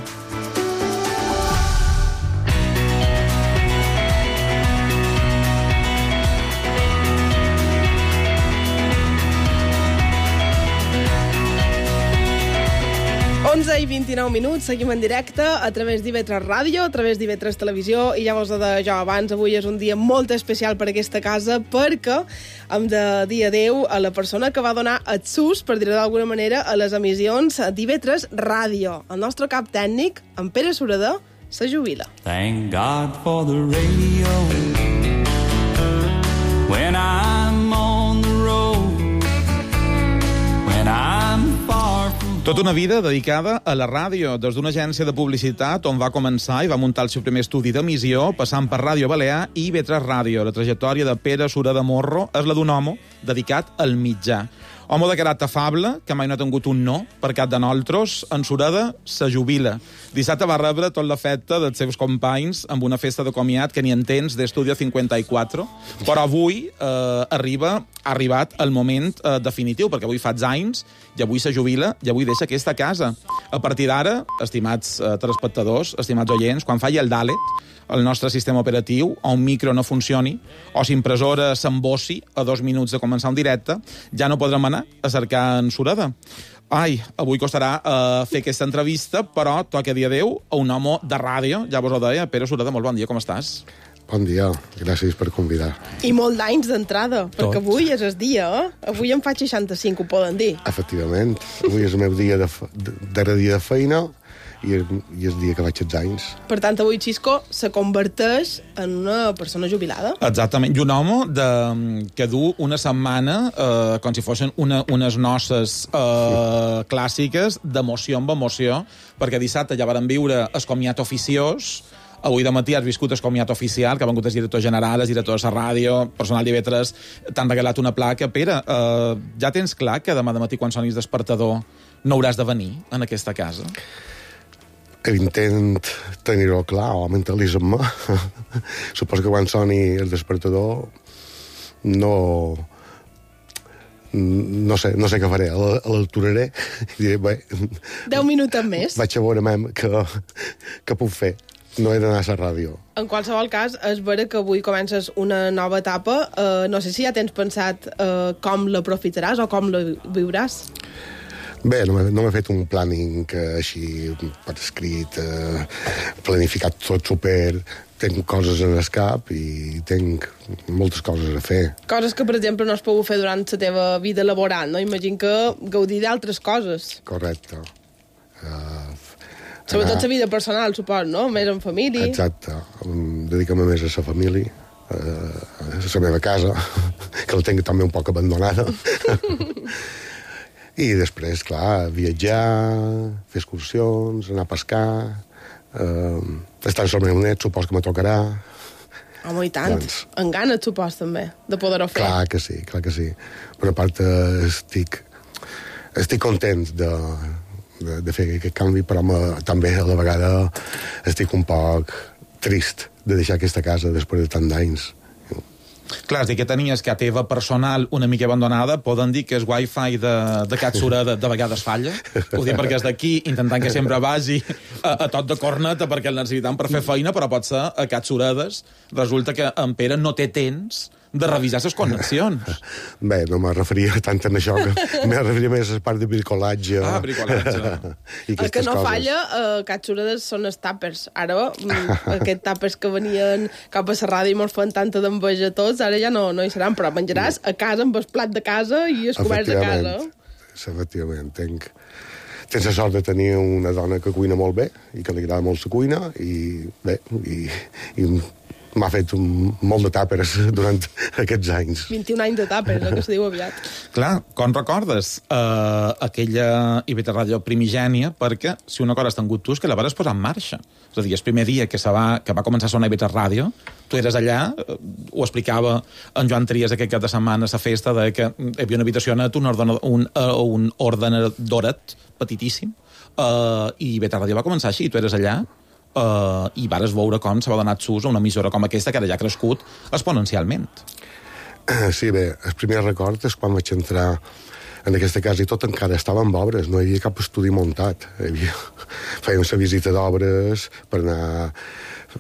onze i vint-i-nou minuts, seguim en directe a través d'I V tres Ràdio, a través d'I V tres Televisió, i ja vos ho deia jo abans, avui és un dia molt especial per aquesta casa perquè hem de dir adeu a la persona que va donar el sus, per dir-ho d'alguna manera, a les emissions d'I V tres Ràdio. El nostre cap tècnic, en Pere Sureda, se jubila. Thank God for the radio when I'm on the road, when I'm far from... Tota una vida dedicada a la ràdio, des d'una agència de publicitat on va començar i va muntar el seu primer estudi d'emissió, passant per Ràdio Balear i I V tres Ràdio. La trajectòria de Pere Sureda Morro és la d'un home dedicat al mitjà. Home de caràcter afable, que mai no ha tingut un no per cap de nosaltres, en Sureda se jubila. Dissabte va rebre tot l'afecte dels seus companys amb una festa de comiat que ni entens d'Estudio cinquanta-quatre, però avui eh, arriba, ha arribat el moment eh, definitiu, perquè avui fa anys i avui se jubila i avui deixa aquesta casa. A partir d'ara, estimats eh, telespectadors, estimats oients, quan falli el Dalet, el nostre sistema operatiu, o un micro no funcioni, o si impressora s'embossi a dos minuts de començar un directe, ja no podrem anar a cercar en Sureda. Ai, avui costarà uh, fer aquesta entrevista, però toca dir adeu a un home de ràdio, ja vos ho deia. Pere Sureda, molt bon dia, com estàs? Bon dia, gràcies per convidar. I molt d'anys d'entrada, perquè avui és el dia, eh? Avui en fa seixanta-cinc, ho poden dir. Efectivament, avui és el meu dia de, de, darrer dia de feina, i és, i és el dia que vaig als anys. Per tant, avui Xisco se converteix en una persona jubilada. Exactament, i un home de, que du una setmana eh, com si fossin una, unes noces eh, clàssiques d'emoció amb emoció, perquè dissabte ja varen viure el comiat oficiós. Avui de matí has viscut el comiat oficial, que ha vengut el director general, el director de la ràdio, personal d'I V tres, t'han regalat una placa. Pere, eh, ja tens clar que demà de matí, quan sonis despertador, no hauràs de venir en aquesta casa? Intent tenir-ho clar, o mentalitzar-me. Suposo que quan soni el despertador no... No sé, no sé què faré. L'alturaré i diré, bé... Deu minuts més. Vaig a veure què, què puc fer. No he d'anar a la ràdio. En qualsevol cas, és vera que avui comences una nova etapa. Uh, no sé si ja tens pensat uh, com l'aprofitaràs o com la viuràs. Bé, no m'he no fet un planning eh, així per escrit, eh, planificat tot super... Tenc coses en el cap i tenc moltes coses a fer. Coses que, per exemple, no has pogut fer durant la teva vida laboral, no? Imagino que gaudir d'altres coses. Correcte. Uh, Sobretot la vida personal, supos, no? Més en família. Exacte. Dedicar-me més a la família, uh, a la meva casa, que la tinc també un poc abandonada. I després, clar, viatjar, fer excursions, anar a pescar, eh, estar amb el meu net, supos que me tocarà. Home, i tant. Doncs, en ganes, supos, també, de poder-ho fer. Clar que sí, clar que sí. Per a part, eh, estic, estic content de, de, de fer aquest canvi, però me, també a la vegada estic un poc trist de deixar aquesta casa després de tant d'anys. Clar, és dir que tenies que a teva personal una mica abandonada, poden dir que el wifi de, de Cat Sureda de vegades falla. Ho dic perquè és d'aquí, intentant que sempre vagi a, a tot de corneta perquè el necessitem per fer feina, però pot ser a Cat Suredes. Resulta que en Pere no té temps de revisar les connexions. Bé, no me referia tant en això, que me referia més a la part de bricolatge. Ah, bricolatge. El que no coses. Falla a uh, Cat Suredes són els tàpers. Ara, aquests tàpers que venien cap a la ràdio i mos fan tanta d'enveja tots, ara ja no, no hi seran, però menjaràs a casa amb el plat de casa i els coberts de casa. Efectivament, tenc... Tens la sort de tenir una dona que cuina molt bé i que li agrada molt la cuina i bé, i, i m'ha fet un, molt de tàpers durant aquests anys. vint-i-un anys de tàpers, el que se diu aviat. Clar, com recordes uh, aquella I V tres Ràdio primigènia, perquè si una cosa has tingut tu és que la vas posar en marxa. És a dir, el primer dia que, se va, que va començar a sonar I V tres Ràdio, tu eres allà, uh, ho explicava en Joan Trias aquest cap de setmana a la festa, de que hi havia una habitació net, un, ordenador, un, uh, un ordenadoret petitíssim, uh, i I V tres Ràdio va començar així, tu eres allà, Uh, i vares veure com se va donar sus a una emissora com aquesta, que ara ja ha crescut exponencialment. Sí, bé, el primer record és quan vaig entrar en aquesta casa i tot encara estava en obres, no hi havia cap estudi muntat. Hi havia... Fèiem la visita d'obres per anar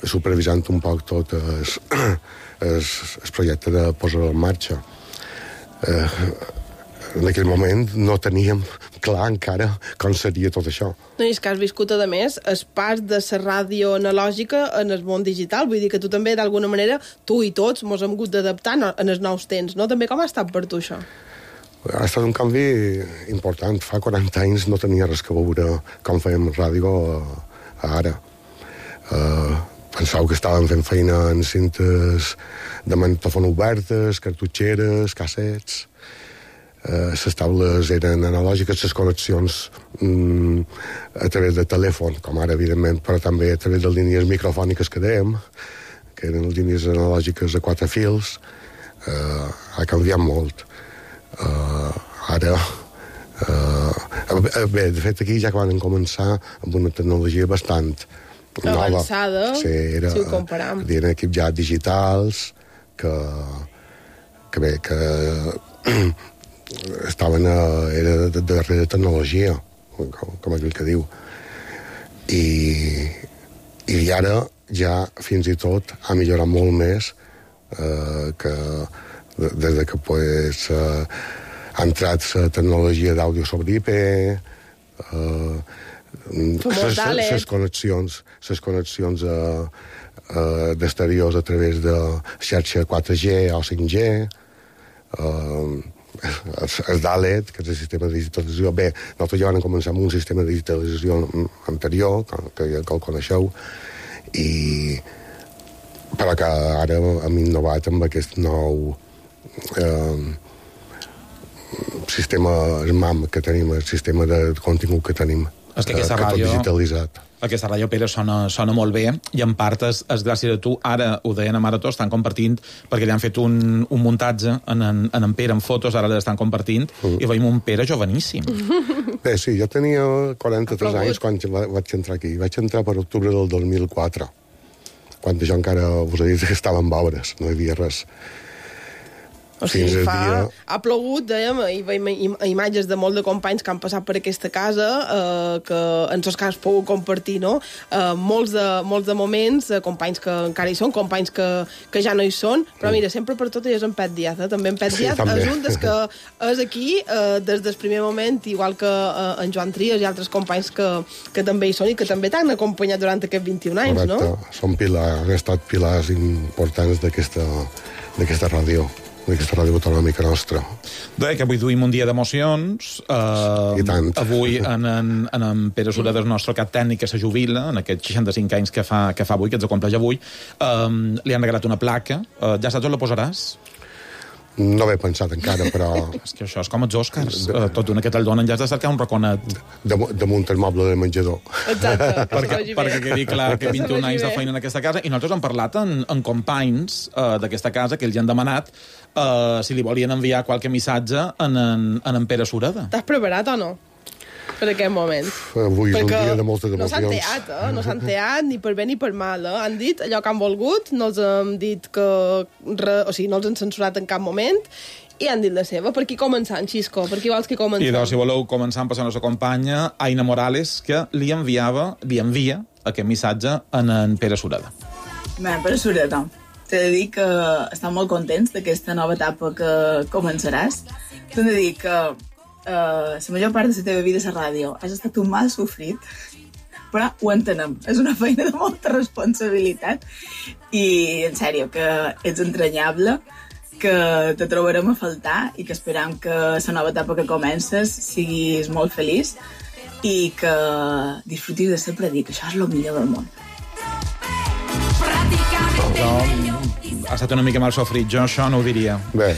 supervisant un poc tot el, el, el projecte de posar en marxa. Eh, en aquell moment no teníem clar encara com seria tot això. No, i és que has viscut, a més, el pas de la ràdio analògica en el món digital. Vull dir que tu també, d'alguna manera, tu i tots mos hem hagut d'adaptar en els nous temps, no? També com ha estat per tu, això? Ha estat un canvi important. Fa quaranta anys no tenia res que veure com fèiem ràdio ara. Uh, pensau que estàvem fent feina en cintes de magnetòfon obertes, cartutxeres, cassets. Uh, les taules eren analògiques, les connexions mm, a través de telèfon, com ara, evidentment, però també a través de línies microfòniques que dèiem, que eren línies analògiques a quatre fils. Uh, ha canviat molt. Uh, ara... Uh, bé, de fet, aquí ja van començar amb una tecnologia bastant nova. Avançada, sí, era, si ho comparam. Eren equips ja digitals que, que bé, que estaven a, era de, de darrere tecnologia, com, com aquell que diu. I, i ara ja fins i tot ha millorat molt més eh, que des de que pues, eh, ha entrat la tecnologia d'àudio sobre I P, eh, les connexions, les connexions eh, eh, d'exteriors a través de xarxa quatre G o cinc G, eh, el D A L E T, que és el sistema de digitalització. Bé, nosaltres ja vam començar amb un sistema de digitalització anterior, que ja que el coneixeu, i però que ara hem innovat amb aquest nou eh, sistema SMAM que tenim, el sistema de contingut que tenim. És que aquesta eh, que ràdio... tot digitalitzat. Aquesta ràdio, Pere, sona, sona molt bé, i en part és, és gràcies a tu. Ara, ho deien a Marató, estan compartint, perquè li han fet un, un muntatge en en, en en Pere, en fotos, ara l'estan compartint, mm. i veiem un Pere joveníssim. Bé, sí, jo tenia quaranta-tres anys quan vaig entrar aquí. Vaig entrar per octubre del dos mil quatre, quan jo encara us he dit que estava en obres, no hi havia res. O sigui, fa... dia... ha plogut, dèiem, i veiem im imatges de molts de companys que han passat per aquesta casa, eh, que en tots cas pogut compartir, no? Eh, molts, de, molts de moments, eh, companys que encara hi són, companys que, que ja no hi són, però mm. mira, sempre per tot és en Pet Díaz, eh? També en Pet sí, Díaz és un des que és aquí eh, des del primer moment, igual que eh, en Joan Trias i altres companys que, que també hi són i que també t'han acompanyat durant aquests vint-i-un anys, correcte. No? Són pilars, han estat pilars importants d'aquesta ràdio. d'aquesta ràdio autonòmica nostra. Deia que avui duim un dia d'emocions. Uh, I tant. Avui en, en, en, en Pere Sureda, el nostre cap tècnic, que se jubila, en aquests seixanta-cinc anys que fa, que fa avui, que ens compleix avui, um, li han regalat una placa. Uh, ja saps on la posaràs? No m'he pensat encara, però... És que això és com els Oscars. De... Uh, tot una que te'l donen, ja has de cercar un raconet. Damunt el moble de menjador. Exacte. perquè, perquè quedi clar que vint-i-un anys de feina en aquesta casa. I nosaltres hem parlat en, en companys uh, d'aquesta casa, que ells han demanat uh, si li volien enviar qualque missatge en en, en, en Pere Sureda. T'has preparat o no? Per aquest moment. Avui és perquè un dia de moltes emocions. No s'han teat, eh? No s'han teat ni per bé ni per mal, eh? Han dit allò que han volgut, no els hem dit que... Re... O sigui, no els han censurat en cap moment, i han dit la seva. Per qui començant, Xisco? Per qui vols que comencem? I doncs, si voleu començar passant la nostra companya, Aina Morales, que li enviava, li envia aquest missatge en en Pere Sureda. Bé, Pere Sureda, t'he de dir que estan molt contents d'aquesta nova etapa que començaràs. T'he de dir que Uh, la major part de la teva vida a la ràdio has estat un mal sofrit, però ho entenem, és una feina de molta responsabilitat i en sèrio que ets entranyable, que te trobarem a faltar i que esperam que la nova etapa que comences siguis molt feliç i que disfrutis de sempre dir que això és el millor del món. Però ha estat una mica mal sofrit, jo això no ho diria. Bé.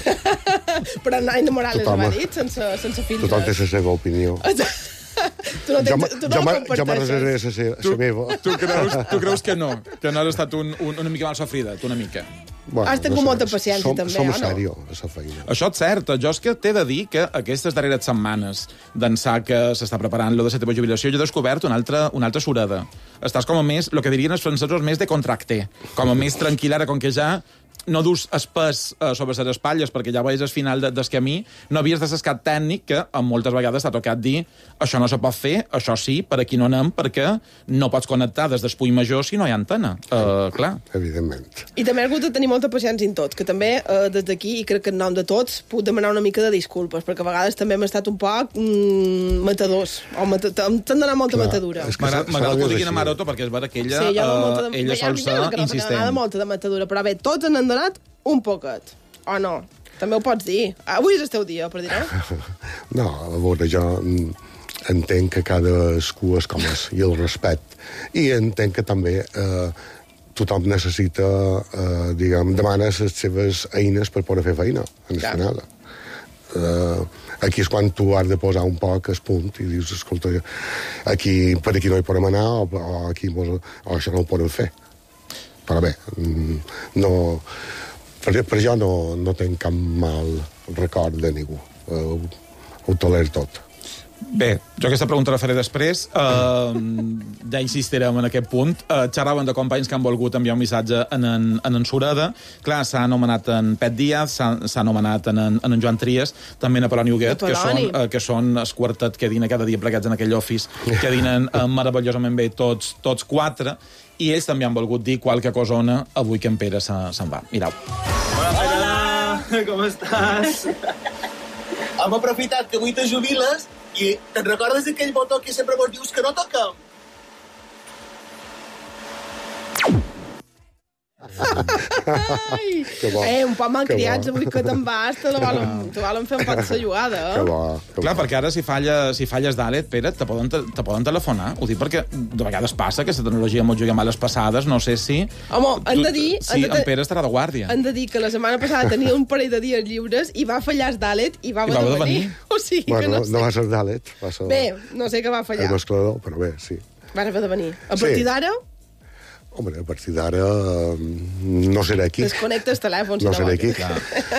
Però Aina Morales ho ha dit, sense, sense filtres. Tothom té la seva opinió. Tu no, tens, tu no la comparteixes. Jo me reservaré la meva. Tu creus, tu creus que no? Que no has estat un, un, una mica mal sofrida, tu una mica? Bueno, has tingut no sé, molta paciència, som, també, som o no? Som sèrio, a la feina. Això és cert. Jo és que t'he de dir que aquestes darreres setmanes d'ençà que s'està preparant lo de la teva jubilació, jo he descobert una altra, una altra Sureda. Estàs com a més, el que dirien els francesos, més de contracte. Com a més tranquil, ara, com que ja no dus espès uh, sobre les espatlles, perquè ja veies al final de, del camí, no havies de ser tècnic que moltes vegades t'ha tocat dir això no se pot fer, això sí, per aquí no anem, perquè no pots connectar des del Puig Major si no hi ha antena. Uh, clar. Evidentment. I també ha hagut de tenir molta paciència en tots, que també uh, des d'aquí, i crec que en nom de tots, puc demanar una mica de disculpes, perquè a vegades també hem estat un poc mm, matadors, o mata, t'han d'anar molta clar, matadura. M'agrada que ho diguin a Maroto, perquè és vera que ella, sí, uh, de... ella sol ser insistent. M'agrada molta de matadura, però bé, tots n'han donat un poquet, o no? També ho pots dir. Avui és el teu dia, per dir-ho. No, a veure, jo entenc que cadascú és com és, i el respecte. I entenc que també eh, tothom necessita, eh, diguem, demana les seves eines per poder fer feina, en el final. Eh, aquí és quan tu has de posar un poc el punt i dius, escolta, aquí, per aquí no hi podem anar, o, o, aquí, o això no ho podem fer. Però bé, no, per, per jo no, no tenc cap mal record de ningú. Ho, ho toler tot. Bé, jo aquesta pregunta la faré després. Uh, ja insistirem en aquest punt. Uh, xerraven de companys que han volgut enviar un missatge en en, en, en Sureda. Clar, s'ha anomenat en Pet Díaz, s'ha anomenat en, en, en Joan Trias, també en Apol·loni Huguet, que són, uh, que són el quartet que dina cada dia plegats en aquell office, que dinen uh, meravellosament bé tots, tots quatre, i ells també han volgut dir qualque cosona avui que en Pere se'n se va. Mirau. Hola, Pere, com estàs? Hem aprofitat que avui te jubiles i te'n recordes d'aquell botó que sempre vos dius que no toquem? Ai, eh, un poc malcriats avui que te'n vas, te la volen, te volen fer un poc de jugada, eh? Que bo, que clar, perquè ara si, falla, si falles d'Alet, Pere, te poden, te, te poden telefonar. Ho dic perquè de vegades passa que la tecnologia mos juga males passades, no sé si... Home, han de dir... Sí, de, en Pere estarà de guàrdia. Han de dir que la setmana passada tenia un parell de dies lliures i va fallar d'Alet i va haver de venir. O sigui bueno, que no sé. No va ser d'Alet, va ser... Bé, no sé què va fallar. El mesclador, però bé, sí. Va haver de venir. A partir sí. d'ara... Home, a partir d'ara no seré aquí. Desconnecta el telèfon. Si no, no seré aquí.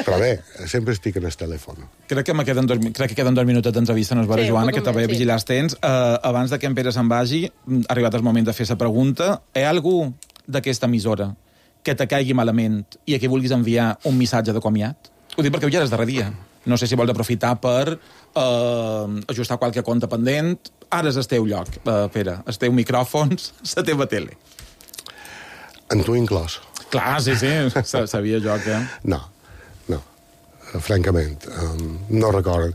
Però bé, sempre estic en el telèfon. Crec que, queden dos, crec que queden dos minuts d'entrevista, no és vera, sí, Joana, que també sí. vigilar els temps. Uh, abans de que en Pere se'n vagi, ha arribat el moment de fer la pregunta. Hi ha algú d'aquesta emissora que te caigui malament i a qui vulguis enviar un missatge de comiat? Ho dic perquè avui ja és darrer dia. No sé si vols aprofitar per uh, ajustar qualque compte pendent. Ara és el teu lloc, uh, Pere. Els teus micròfons, la teva tele. En tu inclòs. Clar, sí, sí, sabia jo que... No, no, francament, um, no recordo.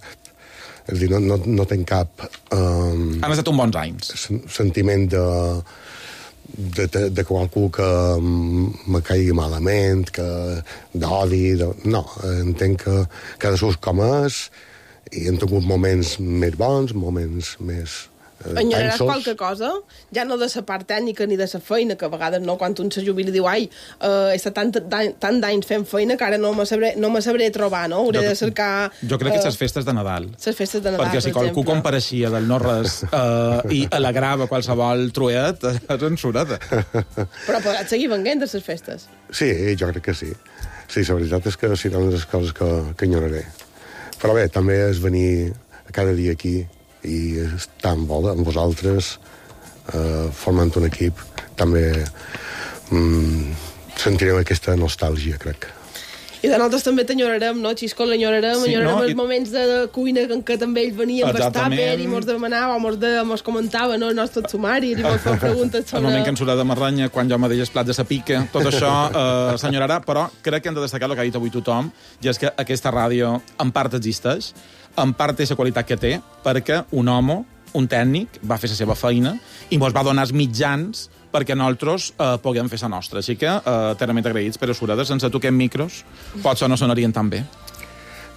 És a dir, no, no, no tenc cap... Um, Han estat uns bons anys. Sentiment de, de, de, de qualcú que me caigui malament, que d'odi... De, no, entenc que cadascú com és i hem tingut moments més bons, moments més... Enyoraràs qualque cosa? Ja no de la part tècnica ni de la feina, que a vegades no, quan un se jubila diu ai, uh, he estat tant, tant d'anys fent feina que ara no me sabré, no me sabré trobar, no? Hauré jo, de cercar... Jo crec uh, que les festes de Nadal. Les festes de Nadal, perquè si per qualcú exemple. compareixia del no res uh, i alegrava qualsevol truet, és en surada. Però podràs seguir venguent de les festes? Sí, jo crec que sí. Sí, la veritat és que seran les coses que, que enyoraré. Però bé, també és venir cada dia aquí i estar amb, amb vosaltres, eh, formant un equip, també mm, sentirem aquesta nostàlgia, crec. I de nosaltres també t'enyorarem, no, Xisco? L'enyorarem, sí, enyorarem no? els I... moments de cuina en què també ell venia amb el tàper i mos demanava, o mos, de, mos comentava, no, el nostre sumari, i mos feia preguntes sobre... El moment que ens surt de Marranya, quan jo me deia el plat de sa pica, tot això eh, s'enyorarà, però crec que hem de destacar el que ha dit avui tothom, i és que aquesta ràdio en part existeix, en part té la qualitat que té, perquè un home, un tècnic, va fer la seva feina i mos va donar els mitjans perquè nosaltres eh, puguem fer la nostra. Així que, eh, eternament agraïts, Pere Sureda, sense tu aquests micros, potser no sonarien tan bé.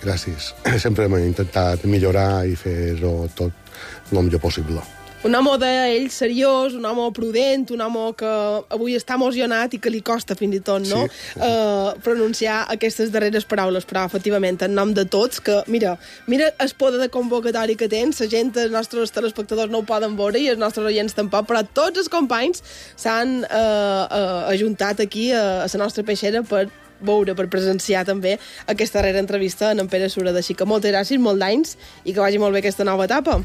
Gràcies. Sempre hem intentat millorar i fer-ho tot el millor possible. Un home d'ell seriós, un home prudent, un home que avui està emocionat i que li costa fins i tot, no?, sí. uh, pronunciar aquestes darreres paraules, però efectivament, en nom de tots, que, mira, mira el poder de convocatori que tens, la gent, els nostres telespectadors no ho poden veure i els nostres oients tampoc, però tots els companys s'han uh, uh, ajuntat aquí a, a la nostra peixera per veure, per presenciar també aquesta darrera entrevista en en Pere Sureda. Així que moltes gràcies, molt d'anys, i que vagi molt bé aquesta nova etapa.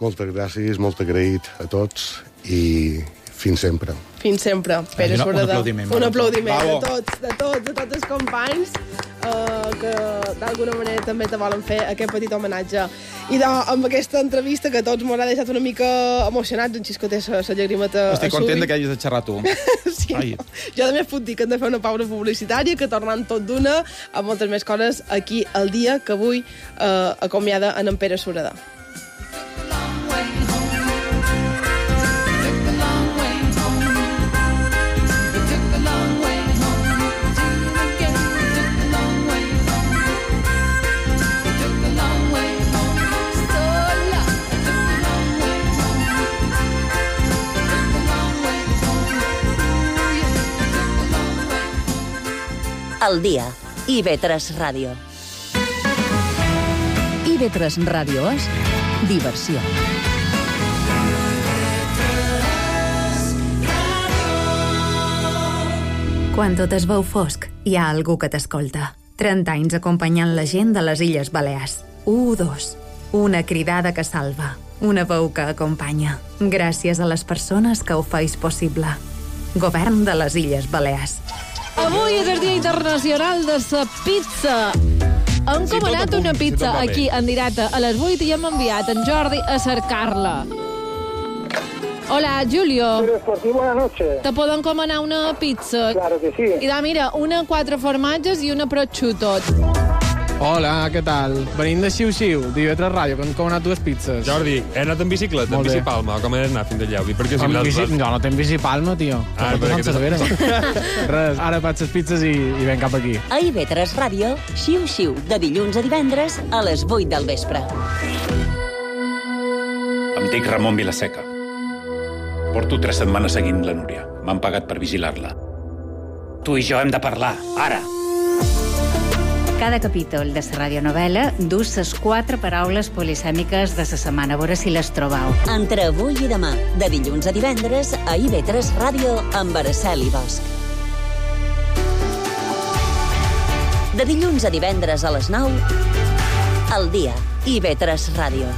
Moltes gràcies, molt agraït a tots i fins sempre. Fins sempre. Pere Un Sureda. aplaudiment. Un aplaudiment Bravo. de tots, de tots, de tots els companys uh, que d'alguna manera també te volen fer aquest petit homenatge. I de, amb aquesta entrevista que a tots m'haurà deixat una mica emocionats, en Xisco té la llagrimeta a Estic content de que hagis de xerrar tu. Sí, no? Jo també puc dir que hem de fer una pausa publicitària, que tornant tot d'una, amb moltes més coses aquí al dia que avui eh, acomiada en en Pere Sureda. El dia. I ve tres Ràdio. I ve tres Ràdio és diversió. Quan tot es veu fosc, hi ha algú que t'escolta. trenta anys acompanyant la gent de les Illes Balears. U dos. Una cridada que salva. Una veu que acompanya. Gràcies a les persones que ho feis possible. Govern de les Illes Balears. Avui és el Dia Internacional de la Pizza. Hem Si comanat tot a punt, una si pizza tot va bé. aquí en directe a les vuit i hem enviat en Jordi a cercar-la. Hola, Julio. Por ti, buenas noches. Te poden comanar una pizza? Claro que sí. I da, mira, una quatre formatges i una prosciutto. Hola, què tal? Venim de Xiu-Xiu, d'I V tres Ràdio, que hem comanat dues pizzas. Jordi, he anat en bicicleta, en Molt bé. bicipalma, com he d'anar fins allà? Vull dir, perquè si Amb me bici... l'has- No, no tenc bicipalma, tio. Ah, Ah, perquè que Cervera. Res, ara faig les pizzas i, i ven cap aquí. A I V tres Ràdio, xiu-xiu, de dilluns a divendres a les vuit del vespre. Em dic Ramon Vilaseca. Porto tres setmanes seguint la Núria. M'han pagat per vigilar-la. Tu i jo hem de parlar, ara. Cada capítol de la radionovel·la dus ses quatre paraules polisèmiques de la setmana. A veure si les trobau. Entre avui i demà, de dilluns a divendres, a I V tres Ràdio amb Araceli Bosch. De dilluns a divendres a les nou, al dia, I V tres Ràdio.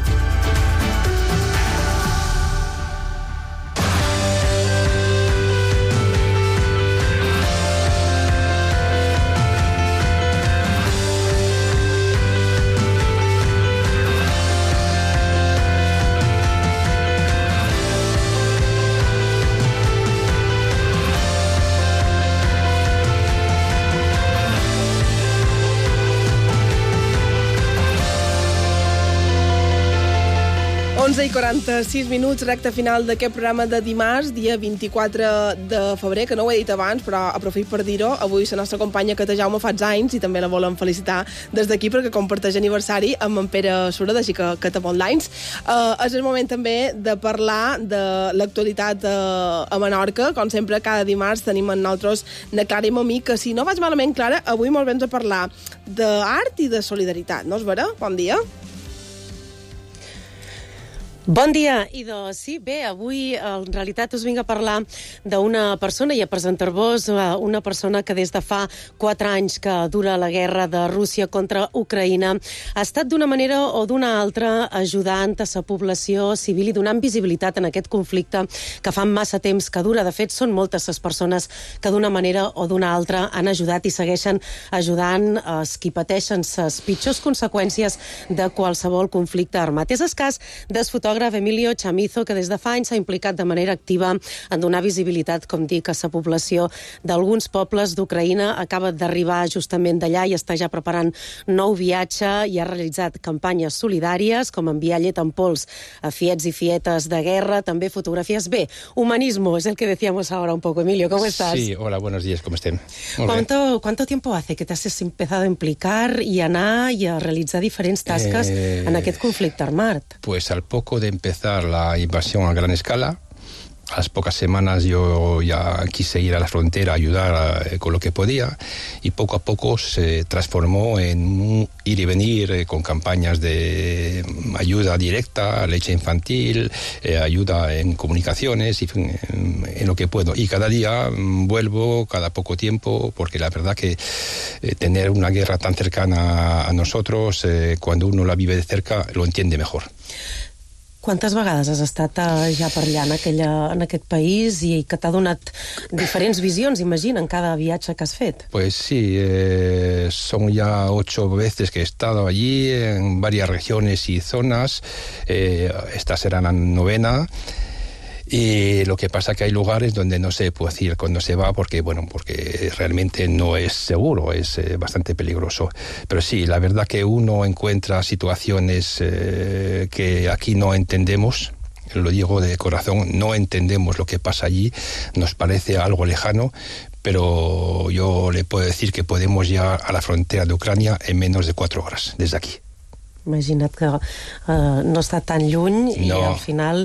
onze i quaranta-sis minuts, recta final d'aquest programa de dimarts, dia vint-i-quatre de febrer, que no ho he dit abans, però aprofit per dir-ho. Avui la nostra companya Cata Jaume fa anys i també la volem felicitar des d'aquí perquè comparteix aniversari amb en Pere Sureda, així que Cata, bon l'anys. Uh, és el moment també de parlar de l'actualitat uh, a Menorca. Com sempre, cada dimarts tenim en nosaltres na Clara i Mamí, que si no vaig malament, Clara, avui molt vens a parlar d'art i de solidaritat, no és vera? Bon dia. Bon dia, i de, sí, bé, avui en realitat us vinc a parlar d'una persona i a presentar-vos una persona que des de fa quatre anys que dura la guerra de Rússia contra Ucraïna ha estat d'una manera o d'una altra ajudant a la població civil i donant visibilitat en aquest conflicte que fa massa temps que dura. De fet, són moltes les persones que d'una manera o d'una altra han ajudat i segueixen ajudant els qui pateixen les pitjors conseqüències de qualsevol conflicte armat. És el cas del fotògraf Emilio Chamizo, que des de fa anys s'ha implicat de manera activa en donar visibilitat, com dic, a la població d'alguns pobles d'Ucraïna. Acaba d'arribar justament d'allà i està ja preparant nou viatge i ha realitzat campanyes solidàries, com enviar llet en pols a fiets i fietes de guerra, també fotografies. Bé, humanismo, es el que decíamos ahora un poco. Emilio, ¿cómo estás? Sí, hola, buenos días, ¿cómo estén? Muy ¿Cuánto, ¿Cuánto tiempo hace que te has empezado a implicar i anar i a realitzar diferents tasques Eh, en aquest conflicte armat? Pues al poco de empezar la invasión a gran escala, a las pocas semanas yo ya quise ir a la frontera a ayudar eh, con lo que podía y poco a poco se transformó en un ir y venir eh, con campañas de ayuda directa, leche infantil, eh, ayuda en comunicaciones y en, en lo que puedo. Y cada día mm, vuelvo, cada poco tiempo, porque la verdad que eh, tener una guerra tan cercana a nosotros, eh, cuando uno la vive de cerca, lo entiende mejor. Quantes vegades has estat eh, ja per allà, en, aquella, en aquest país, i que t'ha donat diferents visions, imagina, en cada viatge que has fet? Pues sí, eh, son ya ocho veces que he estado allí, en varias regiones y zonas. Eh, esta será la novena. Y lo que pasa que hay lugares donde no se puede decir cuando se va porque, bueno, porque realmente no es seguro, es eh, bastante peligroso. Pero sí, la verdad que uno encuentra situaciones eh, que aquí no entendemos, lo digo de corazón, no entendemos lo que pasa allí, nos parece algo lejano, pero yo le puedo decir que podemos llegar a la frontera de Ucrania en menos de cuatro horas, desde aquí. Imagina't que uh, no està tan lluny no. I al final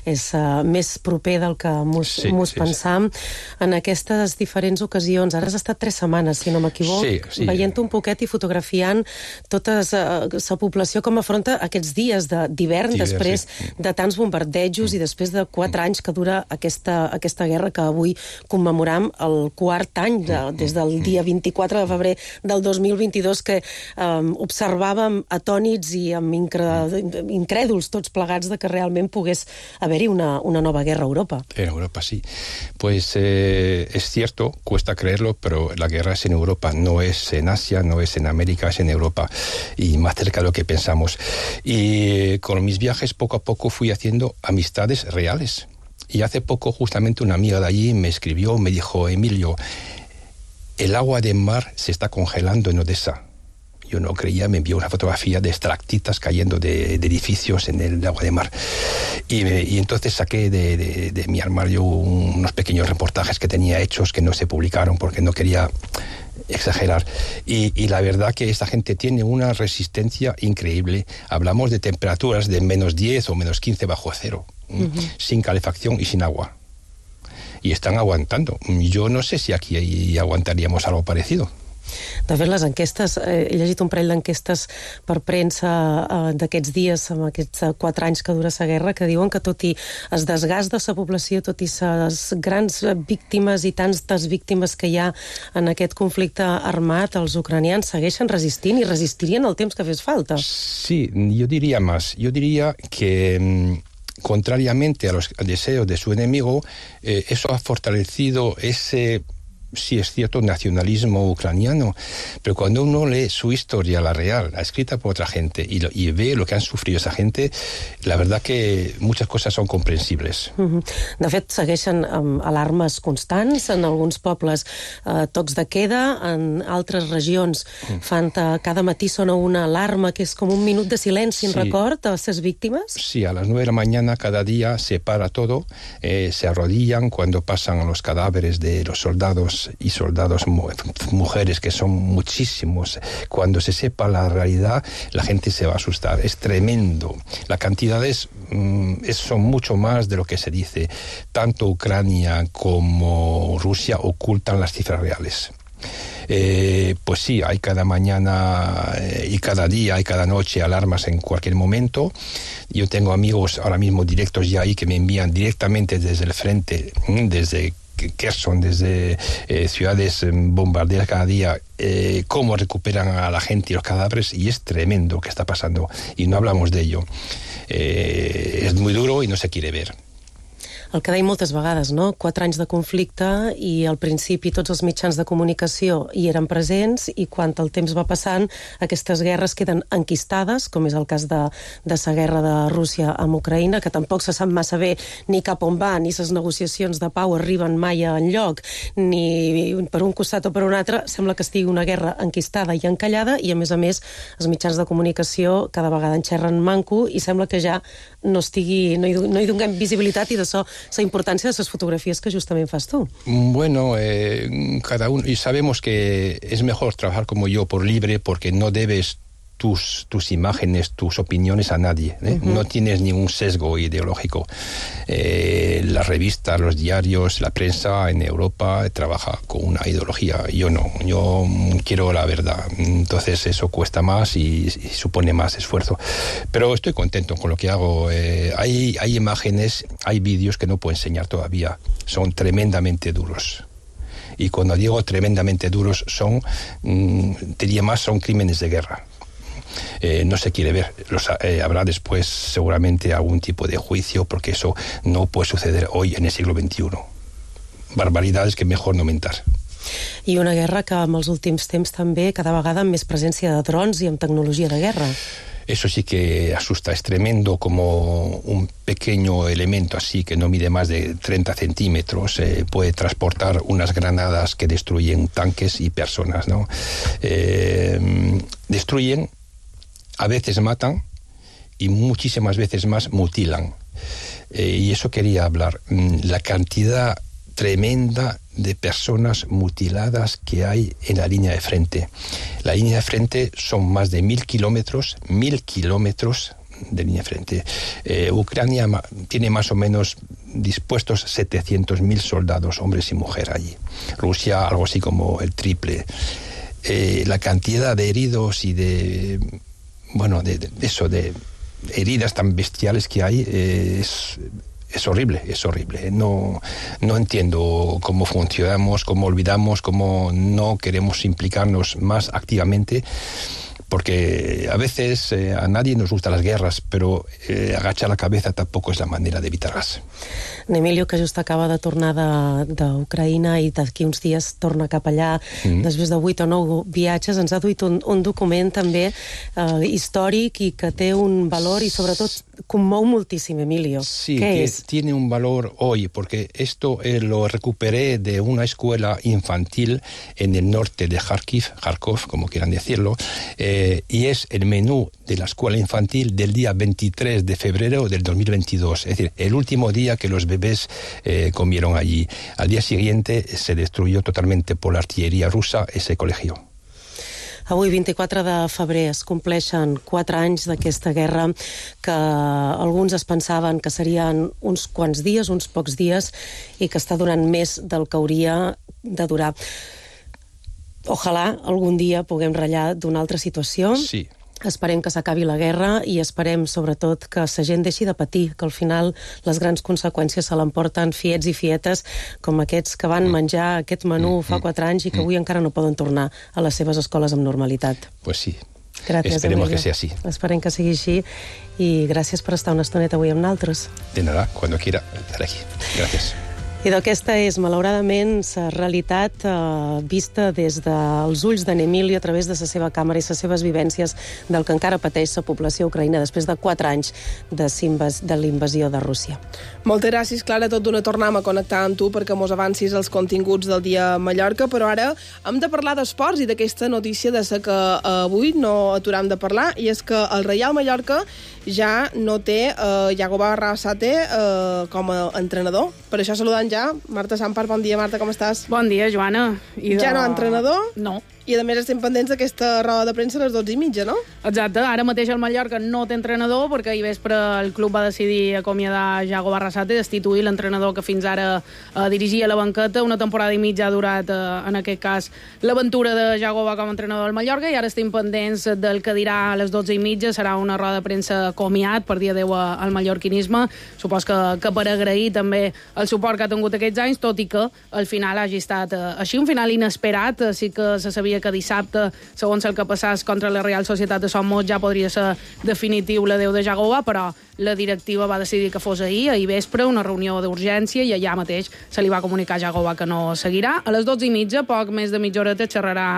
és uh, més proper del que mos, sí, mos sí, pensam. Sí. En aquestes diferents ocasions, ara has estat tres setmanes, si no m'equivoc, sí, sí. veient un poquet i fotografiant tota la uh, població com afronta aquests dies d'hivern, de, després sí. de tants bombardejos mm. i després de quatre anys que dura aquesta, aquesta guerra que avui commemoram el quart any, de, des del dia vint-i-quatre de febrer del dos mil vint-i-dos, que um, observàvem atònits i amb incrèduls tots plegats de que realment pogués haver-hi una, una nova guerra a Europa. En Europa, sí. Pues eh, es cierto, cuesta creerlo, pero la guerra es en Europa, no es en Asia, no es en América, es en Europa, y más cerca de lo que pensamos. Y con mis viajes poco a poco fui haciendo amistades reales. Y hace poco justamente una amiga de allí me escribió, me dijo, Emilio, el agua del mar se está congelando en Odessa. Yo no creía, me envió una fotografía de estalactitas cayendo de, de edificios en el agua de mar. Y, me, y entonces saqué de, de, de mi armario un, unos pequeños reportajes que tenía hechos que no se publicaron porque no quería exagerar. Y, y la verdad que esta gente tiene una resistencia increíble. Hablamos de temperaturas de menos diez o menos quince bajo cero, uh-huh. sin calefacción y sin agua. Y están aguantando. Yo no sé si aquí aguantaríamos algo parecido. De fet, les enquestes, eh, he llegit un parell d'enquestes per premsa eh, d'aquests dies, amb aquests eh, quatre anys que dura la guerra, que diuen que tot i el desgast de la població, tot i les grans víctimes i tantes víctimes que hi ha en aquest conflicte armat, els ucranians segueixen resistint i resistirien el temps que fes falta. Sí, yo diría más. Yo diría que contrariamente a los deseos de su enemigo, eh, eso ha fortalecido ese... sí es cierto, nacionalismo ucraniano, pero cuando uno lee su historia, la real, la escrita por otra gente, y, lo, y ve lo que han sufrido esa gente, la verdad que muchas cosas son comprensibles. Mm-hmm. De fet, segueixen um, alarmes constants, en alguns pobles uh, tocs de queda, en altres regions mm. fan uh, cada matí sona una alarma que és com un minut de silenci en sí. record a les víctimes. Sí, a las nueve de la mañana cada día se para todo, eh, se arrodillan cuando pasan los cadáveres de los soldados y soldados, mujeres, que son muchísimos. Cuando se sepa la realidad, la gente se va a asustar. Es tremendo. Las cantidades mm, son mucho más de lo que se dice. Tanto Ucrania como Rusia ocultan las cifras reales. Eh, pues sí, hay cada mañana eh, y cada día y cada noche alarmas en cualquier momento. Yo tengo amigos ahora mismo directos ya ahí que me envían directamente desde el frente, desde Kherson, desde eh, ciudades bombardeadas cada día, eh, cómo recuperan a la gente y los cadáveres, y es tremendo lo que está pasando, y no hablamos de ello. Eh, es muy duro y no se quiere ver. El que deia moltes vegades, no? Quatre anys de conflicte i al principi tots els mitjans de comunicació hi eren presents i quan el temps va passant aquestes guerres queden enquistades, com és el cas de, de la guerra de Rússia amb Ucraïna, que tampoc se sap massa bé ni cap on va, ni les negociacions de pau arriben mai a enlloc, ni per un costat o per un altre, sembla que estigui una guerra enquistada i encallada, i a més a més els mitjans de comunicació cada vegada enxerren manco i sembla que ja no estigui, no hi, no hi donem visibilitat, i d'això la importància de les fotografies que justament fas tu. Bueno, eh, cada uno, y sabemos que es mejor trabajar como yo por libre, porque no debes tus, tus imágenes, tus opiniones a nadie, ¿eh? Uh-huh. No tienes ningún sesgo ideológico. Eh, las revistas, los diarios, la prensa en Europa trabaja con una ideología. Yo no, yo quiero la verdad. Entonces eso cuesta más y, y supone más esfuerzo. Pero estoy contento con lo que hago. Eh, hay, hay imágenes, hay vídeos que no puedo enseñar todavía. Son tremendamente duros. Y cuando digo tremendamente duros, son, mmm, diría más, son crímenes de guerra. eh, no se quiere ver. Los, eh, habrá después seguramente algún tipo de juicio, porque eso no puede suceder hoy en el siglo veintiuno. Barbaridades que mejor no mentar. I una guerra que en els últims temps també cada vegada amb més presència de drons i amb tecnologia de guerra. Eso sí que asusta, es tremendo como un pequeño elemento así que no mide más de treinta centímetros eh, puede transportar unas granadas que destruyen tanques y personas, ¿no? Eh, destruyen, a veces matan y muchísimas veces más mutilan. Eh, y eso quería hablar, la cantidad tremenda de personas mutiladas que hay en la línea de frente. La línea de frente son más de mil kilómetros, mil kilómetros de línea de frente. Eh, Ucrania ma- tiene más o menos dispuestos setecientos mil soldados, hombres y mujeres allí. Rusia algo así como el triple. Eh, la cantidad de heridos y de, bueno, de, de eso, de heridas tan bestiales que hay eh, es... Es horrible, es horrible. No, no entiendo cómo funcionamos, cómo olvidamos, cómo no queremos implicarnos más activamente, porque a veces eh, a nadie nos gustan las guerras, pero eh, agachar la cabeza tampoco es la manera de evitarlas. Emilio, que just acaba de tornar d'Ucraïna i d'aquí uns dies torna cap allà, mm. després de vuit o nou viatges, ens ha duit un, un document també eh, històric i que té un valor i sobretot conmou moltíssim, Emilio. Sí, ¿Qué que es? Tiene un valor hoy, porque esto eh, lo recuperé de una escuela infantil en el norte de Kharkiv, Kharkov, como quieran decirlo, eh, y es el menú de la escuela infantil del día veintitrés de febrero del dos mil veintidós, es decir, el último día que los bebés eh, comieron allí. Al día siguiente se destruyó totalmente por la artillería rusa ese colegio. Avui, vint-i-quatre de febrer, es compleixen quatre anys d'aquesta guerra que alguns es pensaven que serien uns quants dies, uns pocs dies, i que està durant més del que hauria de durar. Ojalà algun dia puguem ratllar d'una altra situació. Sí. Esperem que s'acabi la guerra i esperem, sobretot, que la gent deixi de patir, que al final les grans conseqüències se l'emporten fiets i fietes com aquests que van menjar aquest menú fa quatre anys i que avui encara no poden tornar a les seves escoles amb normalitat. Pues sí. Gràcies, Esperemos Emilio. que sea así. Esperem que sigui així i gràcies per estar una estoneta avui amb nosaltres. De nada, cuando quiera estar aquí. Gracias. I d'aquesta és, malauradament, la realitat eh, vista des dels ulls d'en Emilio a través de la seva càmera i les seves vivències del que encara pateix la població ucraïna després de quatre anys de, de l'invasió de Rússia. Moltes gràcies, Clara. Tot d'una tornem a connectar amb tu perquè mos avancis els continguts del dia a Mallorca, però ara hem de parlar d'esports i d'aquesta notícia de la que eh, avui no aturam de parlar, i és que el Reial Mallorca ja no té eh, Iago Barrasate eh, com a entrenador. Per això saludant ja Marta Sampar. Bon dia, Marta, com estàs? Bon dia, Joana. I de... Ja no entrenador? No. I a més estem pendents d'aquesta roda de premsa a les dotze i mitja, no? Exacte, ara mateix el Mallorca no té entrenador perquè ahir vespre el club va decidir acomiadar Iago Barrasate, destituir l'entrenador que fins ara eh, dirigia la banqueta. Una temporada i mitja ha durat, eh, en aquest cas, l'aventura de Iago com a entrenador del Mallorca, i ara estem pendents del que dirà a les dotze i mitja. Serà una roda de premsa comiat per dir adeu al mallorquinisme. Supos que, que per agrair també el suport que ha tingut aquests anys, tot i que el final hagi estat eh, així, un final inesperat. Eh, sí que se sabia que dissabte, segons el que passés contra la Real Societat de Somos, ja podria ser definitiu l'adeu de Iago, però la directiva va decidir que fos ahir, ahir vespre, una reunió d'urgència, i allà mateix se li va comunicar a Iago que no seguirà. A les dotze i mitja, poc més de mitja horeta, xerrarà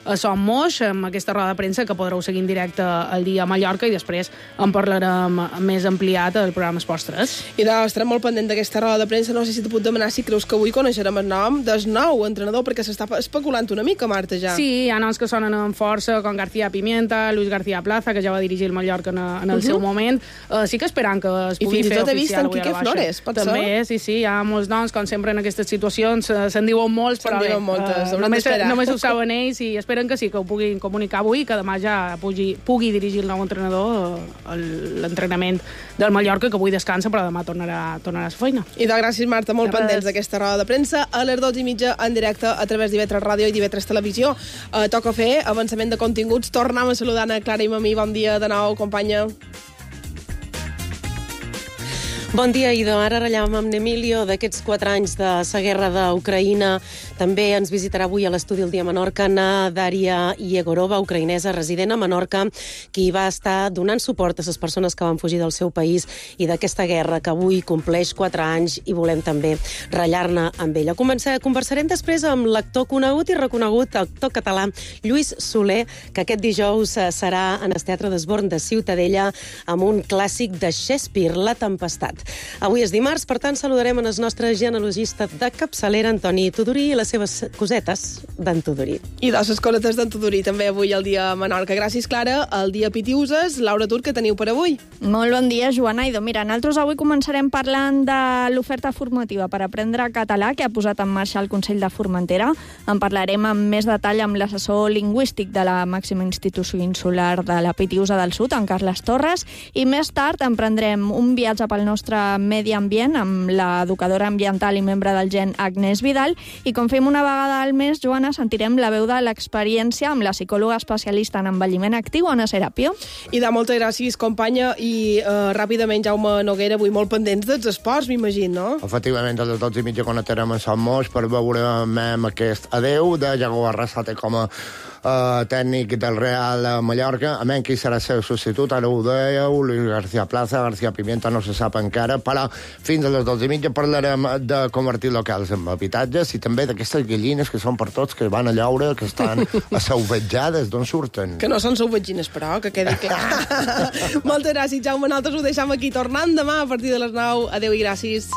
a Som Moix, amb aquesta roda de premsa que podreu seguir en directe al dia a Mallorca, i després en parlarem més ampliat al programa Esports tres. I de, estarem molt pendent d'aquesta roda de premsa. No sé si te puc demanar si creus que avui coneixerem el nom del nou entrenador, perquè s'està especulant una mica, Marta, ja. Sí, hi ha noms que sonen amb força, com García Pimienta, Luis García Plaza, que ja va dirigir el Mallorca en, en el uh -huh. seu moment. Uh, sí que esperant que es pugui fer oficial. I fins i tot he vist en Quique Flores, pot ser? També, sí, sí, hi ha molts noms, com sempre en aquestes situacions, se'n diuen molts, però bé, moltes, uh, només, només ho saben ells, i esperen que sí, que ho puguin comunicar avui, que demà ja pugui, pugui dirigir el nou entrenador l'entrenament del Mallorca, que avui descansa, però demà tornarà, tornarà a la feina. I de gràcies, Marta, molt pendents d'aquesta roda de premsa a les dotze i mitja en directe a través d'I V tres Ràdio i d'I V tres Televisió. Uh, toca fer avançament de continguts. Tornem a saludar a Clara i Mamí. Bon dia de nou, companya. Bon dia, Ido. Ara ratllàvem amb Emilio d'aquests quatre anys de la guerra d'Ucraïna. També ens visitarà avui a l'estudi El Dia Menorca na Daria Yegorova, ucraïnesa resident a Menorca, qui va estar donant suport a les persones que van fugir del seu país i d'aquesta guerra que avui compleix quatre anys i volem també ratllar-ne amb ella. Començar, conversarem després amb l'actor conegut i reconegut, actor català Lluís Soler, que aquest dijous serà en el Teatre d'Esborn de Ciutadella amb un clàssic de Shakespeare, La Tempestat. Avui és dimarts, per tant, saludarem en el nostre genealogista de capçalera, Antoni Tudurí, i les seves cosetes d'en Tudurí. I de les cosetes d'en Tudurí, també avui al dia Menorca. Gràcies, Clara. El dia Pitiuses. Laura Tur, què teniu per avui? Molt bon dia, Joana. Idò, mira, nosaltres avui començarem parlant de l'oferta formativa per aprendre català que ha posat en marxa el Consell de Formentera. En parlarem amb més detall amb l'assessor lingüístic de la màxima institució insular de la Pitiusa del Sud, en Carles Torres, i més tard emprendrem un viatge pel nostre medi ambient amb l'educadora ambiental i membre del Gen Agnès Vidal, i com fem una vegada al mes, Joana, sentirem la veu de l'experiència amb la psicòloga especialista en envelliment actiu, Anna Serapio. I de moltes gràcies, companya, i uh, ràpidament, Jaume Noguera, avui molt pendents dels esports, m'imagino, no? Efectivament, a les dotze i mitja connectarem a Sant Moix per veure aquest adeu de Iago Arrasate com a uh, tècnic del Real Mallorca. A menys qui serà el seu substitut, ara ho dèieu, Luis García Plaza, García Pimienta, no se sap encara, però fins a les dotze i mitja parlarem de convertir locals en habitatges i també d'aquestes gallines que són per tots, que van a llaure, que estan assauvejades, d'on surten? Que no són sauvegines, però, que quedi clar. Moltes gràcies, Jaume. Nosaltres ho deixem aquí, tornant demà a partir de les nou. Adéu i gràcies.